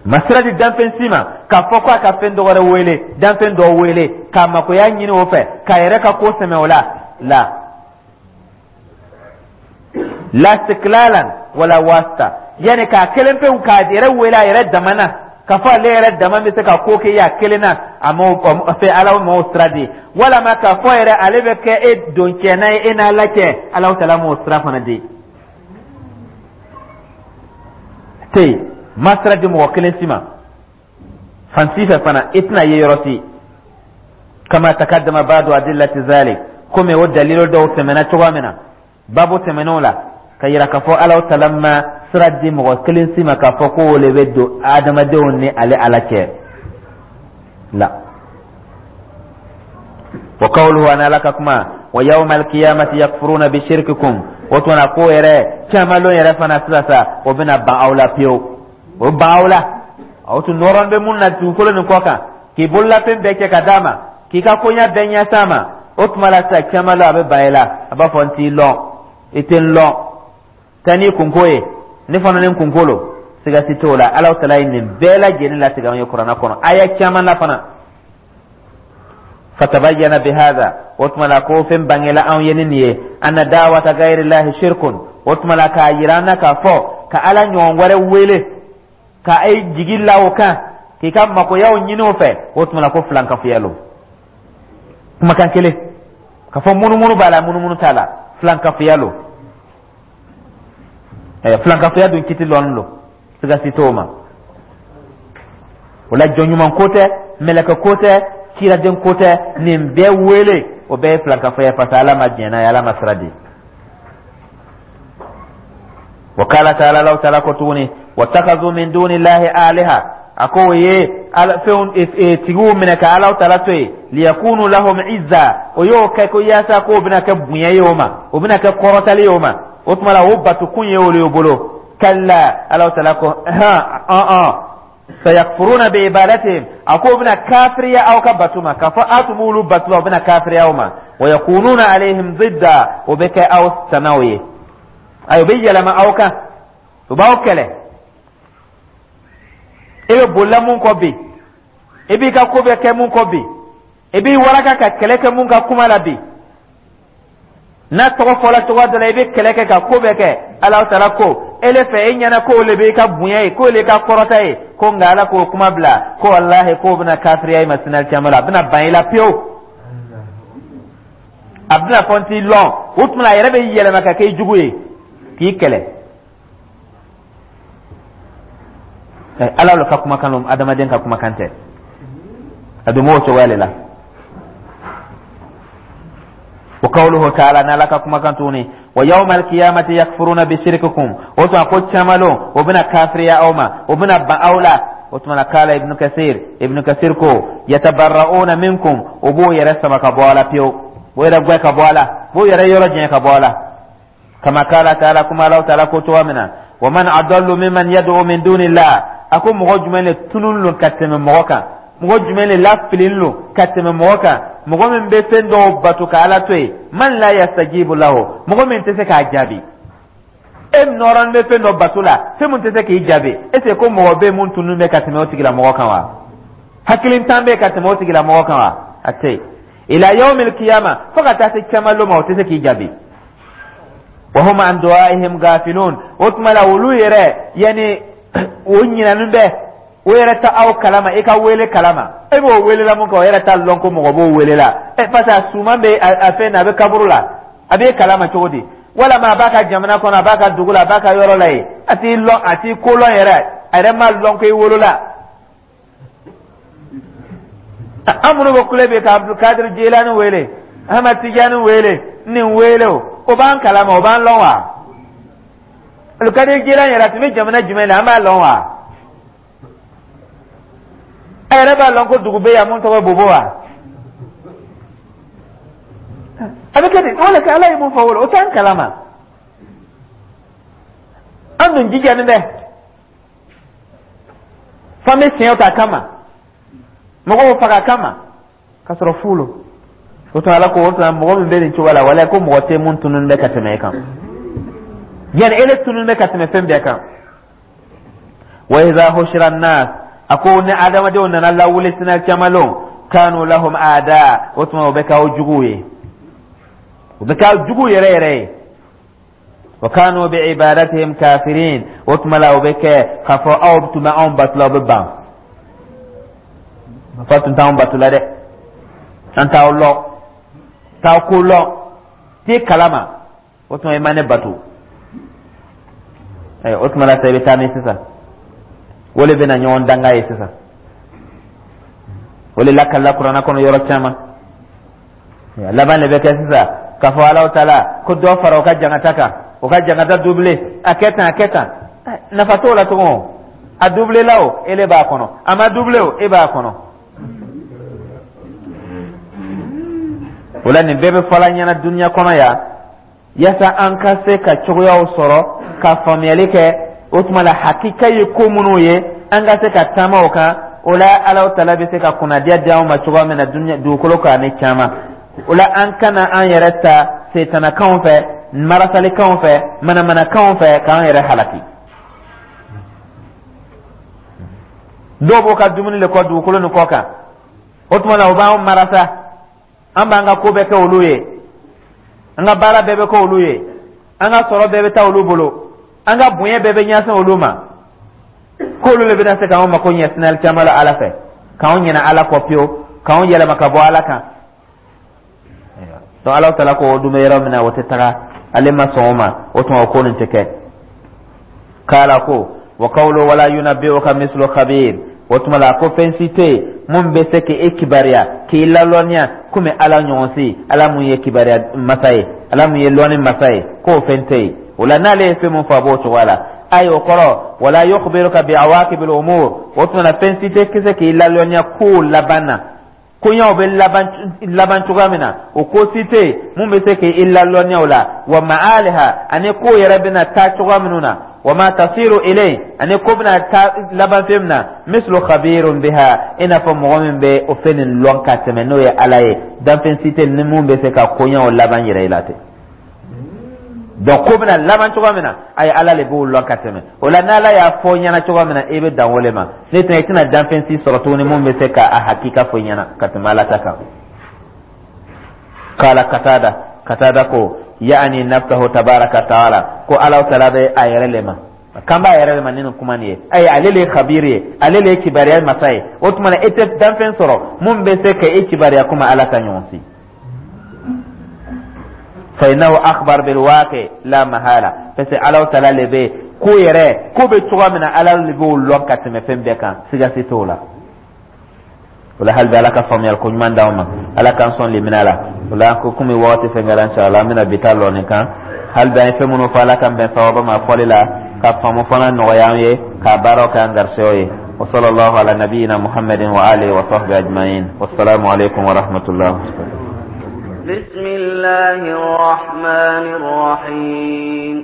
ma sira di danfɛn si ma k'a fɔ ko a ka fɛn dɔ wɛrɛ wele, danfɛn dɔ wele k'a makoya ɲini o fɛ, k'a yɛrɛ ka ko sɛmɛ o la la. La istiklalan wala wasita, yani k'a kelen pewu k'a yɛrɛ wele a yɛrɛ dama na, k'a fɔ ale yɛrɛ dama bɛ se ka ko kɛ a kelen na, a m'o fɛ, Ala m'o sira di. Walama k'a fɔ yɛrɛ ale bɛ kɛ e doncɛna ye e n'Ala cɛ, Alahu taala m'o sira fana di. Tɛ yen, ma sira di mɔgɔ kelen si ma fan si fɛ fana, i tɛna ye yɔrɔ si. Kama takaddama ba'du adillati zalik, komi o dalilu dɔw tɛmɛna cogoya min na babu tɛmɛnenw la, ka yira k'a fɔ Alahu taala ma sira di mɔgɔ kelen si ma k'a fɔ ko o le bɛ don adamadenw ni ale Ala cɛ la. Wa qawluhu, ani Ala ka kuma, wa yawma alqiyamati yakfuruna bi shirkikum. O tuma na ko yɛrɛ caman lon yɛrɛ fana sisan sa, o bɛna ban aw la pewu, o ban aw la. Aw tun nɔrɔn bɛ mun na dugukolo nin kɔ kan, k'i bololafɛn bɛɛ kɛ ka d'a ma, k'i ka koɲa bɛɛ ɲɛs'a ma, o tuma la sisan caman lon a bɛ ban i la, a b'a fɔ n t'i lɔn, i tɛ n lɔn, taa n'i kunko ye, ne fana ni n kunko lo. Siga si t'o la, Alahu taala ye nin bɛɛ lajɛlen latigɛ anw ye kuranɛ kɔnɔ aya caman na fana. Fatabayyana bihadha, o tuma la ko fɛn bangela anw ye ni nin ye, anna da'wata ghayrillahi shirkun. O tuma la k'a yira an na k'a fɔ ka Ala ɲɔgɔn wɛrɛ wele ka e jigi la o kan, k'i ka makoyaw ɲini o fɛ, o tuma la ko filankafoya lo. Kumakan kelen ka fɔ munumunu b'a la, munumunu t'a la, filankafoya lo. Ɛɛ, filankafoya dun kiti lɔnni lo, siga si t'o ma. O la jɔn ɲuman ko tɛ, mɛlɛkɛ ko tɛ, kiraden ko tɛ, nin bɛɛ wele, o bɛɛ ye filankafoya, parce que Ala ma diɲɛ n'a ye, Ala ma sira di. Wa qala ta'ala, Alahu taala ko tuguni, wattakazu min dunillahi aliha, a ko o ye fɛnw tigiw minɛ ka Alahu taala to yen, liyakunu lahum izza, o y'o kɛ ko yaasa k'o bɛna kɛ bonya ye o ma, o bɛna kɛ kɔrɔtali ye o ma. O tuma la o batukun ye olu bolo. Kalla, Alahu taala ko han ɔn ɔn, sayakfuruna bi ibadatihim, a ko o bɛna kafiriya aw ka batu ma, k'a fɔ aw tun b'olu batu la, o bɛna kafiriya aw ma. Wa yakununa alayhim zidda, o bɛ kɛ aw tanaw ye, ayi, o bɛ yɛlɛma aw kan, o b'aw kɛlɛ. E bɛ bolila mun kɔ bi, i b'i ka ko bɛɛ kɛ mun kɔ bi, i b'i waraka ka kɛlɛ kɛ mun ka kuma la bi, n'a tɔgɔ fɔla cogoya dɔ la, i bɛ kɛlɛ kɛ ka ko bɛɛ kɛ. Alahu taala ko ele fɛ, e ɲɛna k'o le b'i ka bonya ye, k'o le ka kɔrɔta ye, ko nka Ala k'o kuma bila ko walahi k'o bɛna kafiriya i ma sini alikiyama la, a bɛna ban i la pewu, a bɛna fɔ n t'i lɔn. O tuma a yɛrɛ bɛ yɛlɛma ka kɛ i jugu ye k'i kɛlɛ. Ala le ka kumakan lo, adamaden ka kumakan tɛ. A dun b'o cogoya le la. Wa qawluhu ta'ala, n'Ala ka kumakan tuguni, wa yawma alqiyamati yakfuruna bi shirkikum. O tuma ko caman lon o bɛna kafiriya aw ma, o bɛna ban aw la. O tuma na kala Ibnu Kasir, Ibnu Kasir ko yatabarra'una minkum, o b'o yɛrɛ sama ka bɔ a la pewu, b'o yɛrɛ gwɛ ka bɔ a la, b'o yɛrɛ yɔrɔ janya ka bɔ a la. Kama kala ta'ala, kuma Alahu ta'ala ko cogoya min na, wa man adallu mimman yad'u min dunillah, a ko mɔgɔ jumɛn le tunun lo ka tɛmɛ mɔgɔ kan, mɔgɔ jumɛn le lafilin lo ka tɛmɛ mɔgɔ kan, mɔgɔ min bɛ fɛn dɔw bato ka Ala to yen, man la yastajibu lahu, mɔgɔ min tɛ se k'a jaabi. E nɔrɔn bɛ fɛn dɔ bato la, fɛn min tɛ se k'i jaabi, est ce que ko mɔgɔ bɛ mun tunun bɛ ka tɛmɛ o tigilamɔgɔ kan wa? Hakilintan bɛ ka tɛmɛ o tigilamɔgɔ kan wa? A tɛ yen. Ila yawmil qiyama, fo ka taa se caman lon ma, o tɛ se k'i jaabi. Wa hum an du'aihim gafilun, o tuma la olu yɛrɛ yani o ɲinɛnen bɛ, o yɛrɛ ta aw kalama, i ka wele kalama, e b'o wele la mun kɛ, o yɛrɛ t'a lɔn ko mɔgɔ b'o wele la. Ɛ, parce que a suman bɛ a fɛn na, a bɛ kaburu la, a b'e kalama cogo di? Walama a b'a ka jamana kɔnɔ, a b'a ka dugu la, a b'a ka yɔrɔ la yen, a t'i lɔn, a t'i ko lɔn yɛrɛ, a yɛrɛ m'a lɔn ko i wolola. An minnu bɛ kule bi ka Abdulkadir Jilani wele, Ahmad Tijani wele, nin wele, o o b'an kalama, o b'an lɔn wa? Abdulkadir Jilani yɛrɛ, a tun bɛ jamana jumɛn la, an b'a lɔn wa? A yɛrɛ b'a lɔn ko dugu bɛ yan mun tɔgɔ ye Bobo wa? A bɛ kɛ di? O le kɛ Ala ye mun fɔ o la, o t'an kalama. An dun jijalen bɛ f'an bɛ siɲɛ ta kama, mɔgɔw faga kama, ka sɔrɔ fu lo. O tuma Ala ko o tuma mɔgɔ min bɛ nin cogo la, walayi ko mɔgɔ tɛ mun tunun bɛ ka tɛmɛ e kan, yani ele tunun bɛ ka tɛmɛ fɛn bɛɛ kan. Wa idha hushira an-nas, a ko ni adamadenw nana lawuli sina caman lon, kanu lahum aada, o tuma o bɛ k'aw juguw ye, o bɛ k'aw jugu yɛrɛ yɛrɛ ye. Wa kanu bi ibadatihim kafirin. O tuma la, o bɛ kɛ k'a fɔ aw tun bɛ anw bato la, o bɛ ban f'a tun t'anw bato la dɛ. An t'aw lɔn, t'aw ko lɔn, t'i kalama. O tuma i ma ne bato. O tuma la sa, i bɛ taa min sisan? O de bɛna ɲɔgɔn danga ye sisan. O de lakalila Kuranna kɔnɔ yɔrɔ caman. Laban de bɛ kɛ sisan k'a fɔ Alahu Taala ko dɔ fara o ka jangata kan, o ka jangata doublé. A kɛ tan, a kɛ tan, nafa t'o la tugun. A doublé la o, e de b'a kɔnɔ. A ma doublé o, e b'a kɔnɔ. O la, nin bɛɛ bɛ fɔla ɲɛna duniya kɔnɔ yan, yaasa an ka se ka cogoyaw sɔrɔ ka faamuyali kɛ. O tuma la, hakika ye ko minnu ye, an ka se ka taama o kan. O la, Alahu Taala bɛ se ka kunnadiya di anw ma cogoya min na duniya dugukolo kan ani caman. O la, an kana an yɛrɛ ta setanakanw fɛ, marasalikanw fɛ, manamanakanw fɛ, k'an yɛrɛ halaki. Dɔw b'o ka dumuni le kɔ dugukolo nin kɔ kan. O tuma la, o b'an marasa, an b'an ka ko bɛɛ kɛ olu ye, an ka baara bɛɛ bɛ kɛ olu ye, an ka sɔrɔ bɛɛ bɛ taa olu bolo, an ka bonya bɛɛ bɛ ɲɛsin olu ma, k'olu le bɛna se k'anw mako ɲɛ sinali caman la Ala fɛ, k'anw ɲinɛ Ala kɔ pewu, k'anw yɛlɛma ka bɔ Ala kan. Donc Ala taala ko o dun bɛ yɔrɔ min na, o tɛ taga, ale ma sɔn o ma. O tuma, o ko nin tɛ kɛ. K'ala ko wa qawlu wala yunabbi'uka mislu khabir. O tuma la, ko fɛn si tɛ yen mun bɛ se k'e kibaruya, k'i lalɔnniya komi Ala ɲɔgɔn si. Ala mun ye kibaruya masa ye, Ala mun ye lɔnni masa ye, k'o fɛn tɛ yen. O la, n'ale ye fɛn mun fɔ, a b'o cogoya la. Ayi, o kɔrɔ wala yukhbiruka bi awaqibil umur. O tuma na, fɛn si tɛ se k'i lalɔnniya kow laban na, koɲaw bɛ laban laban cogoya min na, o ko si tɛ yen mun bɛ se k'i lalɔnniya o la. Wa ma'aliha, ani ko yɛrɛ bɛna taa cogoya minnu na. Wa ma tasiru ilay, ani ko bɛna taa laban fɛn min na. Mislu khabirun biha, i n'a fɔ mɔgɔ min bɛ o fɛn nin lɔn ka tɛmɛ, n'o ye Ala ye. Danfɛn si tɛ ni mun bɛ se ka koɲaw laban yɛrɛ i la ten. Donc ko bɛna laban cogoya min na, ayi, Ala le b'o lɔn ka tɛmɛ. O la, n'Ala y'a fɔ ɲɛna cogoya min na, i bɛ dan o le ma. Ne tɛna, i tɛna danfɛn si sɔrɔ tuguni mun bɛ se ka a hakika fɔ ɲɛna ka tɛmɛ Ala ta kan. Kala Katada, Katada ko yaani nafsahu tabaraka taala, ko Ala taala bɛ a yɛrɛ le ma, kan b'a yɛrɛ le ma ni nin kuma nin ye. Ayi, ale le ye khabiri ye, ale le ye kibaruya masa ye. O tuma na, e tɛ danfɛn sɔrɔ mun bɛ se ka e kibaruya komi Ala ta ɲɔgɔn si. Fa innahu akhbar bil waqi la mahala, parce que Ala taala le bɛ ko yɛrɛ, ko bɛ cogoya min na, Ala le b'o lɔn ka tɛmɛ fɛn bɛɛ kan, siga si t'o la. O la, hali bi, Ala ka faamuyali ko ɲuman d'anw ma, Ala k'an sɔn limina la. O la, ko komi wagati fɛn kɛra, inshallah an bɛna bi ta lɔ nin kan. Hali bi, an ye fɛn minnu fɔ, Ala k'an bɛn sawaba ma fɔli la, ka faamu fana nɔgɔya an ye, k'a baaraw kɛ an garisɛgɛw ye. Wa sallallahu ala nabiyyina Muhammadin wa alihi wa sahbihi ajma'in. Wassalamu alaikum wa rahmatullah. بسم الله الرحمن الرحيم.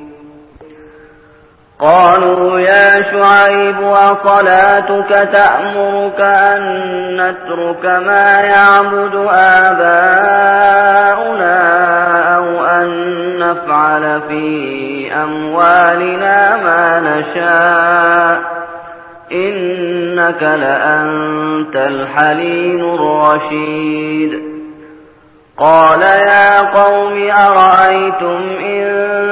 قالوا يا شعيب أصلاتك تأمرك أن نترك ما يعبد آباؤنا أو أن نفعل في أموالنا ما نشاء إنك لأنت الحليم الرشيد. قال يا قوم أرأيتم إن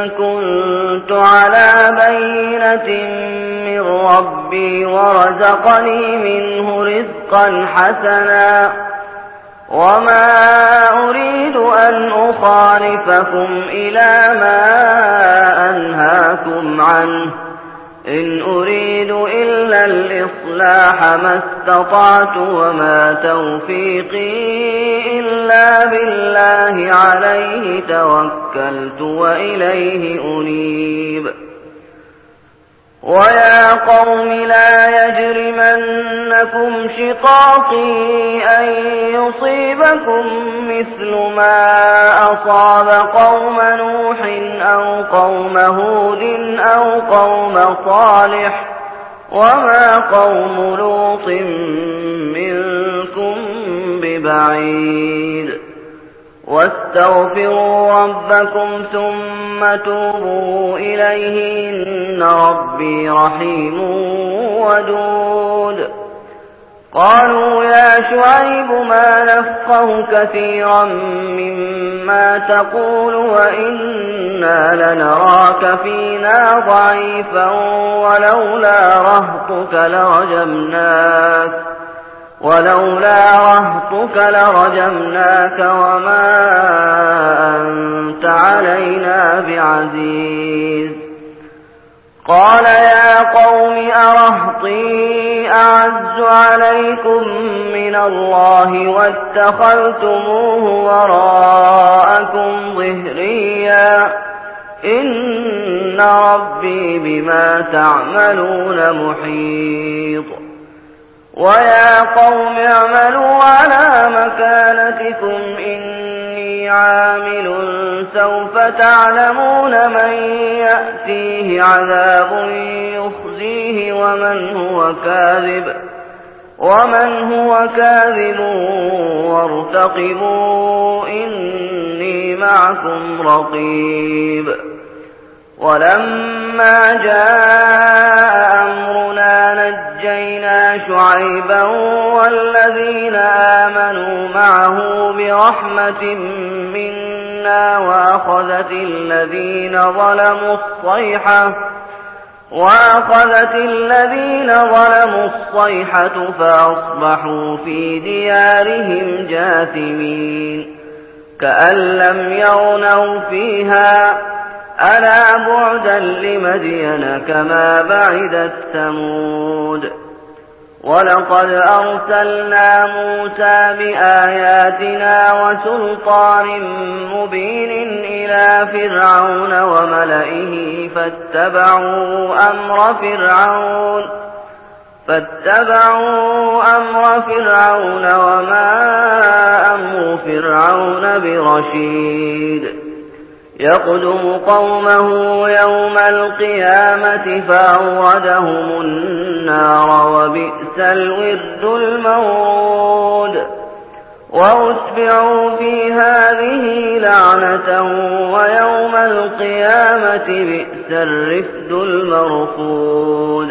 كنت على بينة من ربي ورزقني منه رزقا حسنا وما أريد أن أخالفكم إلى ما أنهاكم عنه إن أريد إلا الإصلاح ما استطعت وما توفيقي إلا بالله عليه توكلت وإليه أنيب. ويا قوم لا يجرمنكم شقاقي أن يصيبكم مثل ما أصاب قوم نوح أو قوم هود أو قوم صالح وما قوم لوط منكم ببعيد. واستغفروا ربكم ثم توبوا إليه إن ربي رحيم ودود. قالوا يا شعيب ما نفقه كثيرا مما تقول وإنا لنراك فينا ضعيفا ولولا رهطك لرجمناك ولولا رهطك لرجمناك وما أنت علينا بعزيز. قال يا قوم أرهطي أعز عليكم من الله واتخذتموه وراءكم ظهريا إن ربي بما تعملون محيط. ويا قوم اعملوا على مكانتكم إني عامل سوف تعلمون من يأتيه عذاب يخزيه ومن هو كاذب ومن هو كاذب وارتقبوا إني معكم رقيب. ولما جاء أمرنا نجينا شعيبا والذين آمنوا معه برحمة منا وأخذت الذين ظلموا الصيحة وأخذت الذين ظلموا الصيحة فأصبحوا في ديارهم جاثمين كأن لم يغنوا فيها ألا بعدا لمدين كما بعدت ثمود. ولقد أرسلنا موسى بآياتنا وسلطان مبين إلى فرعون وملئه فاتبعوا أمر فرعون فاتبعوا أمر فرعون وما أمر فرعون برشيد. يقدم قومه يوم القيامة فأوردهم النار وبئس الورد المورود. وأتبعوا في هذه لعنة ويوم القيامة بئس الرفد المرفود.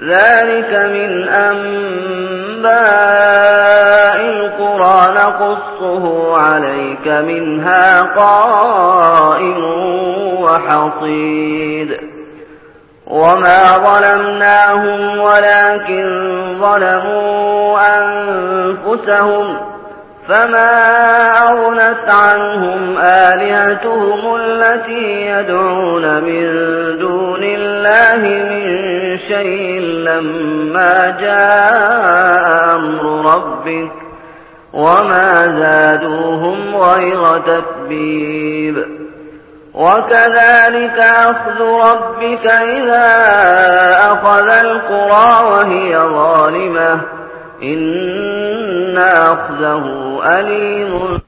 ذلك من أنباء القرى نقصه عليك منها قائم وحصيد. وما ظلمناهم ولكن ظلموا أنفسهم فما أغنت عنهم آلهتهم التي يدعون من دون الله من شيء لما جاء أمر ربك وما زادوهم غير تتبيب. وكذلك أخذ ربك إذا أخذ القرى وهي ظالمة إن أخذه أليم.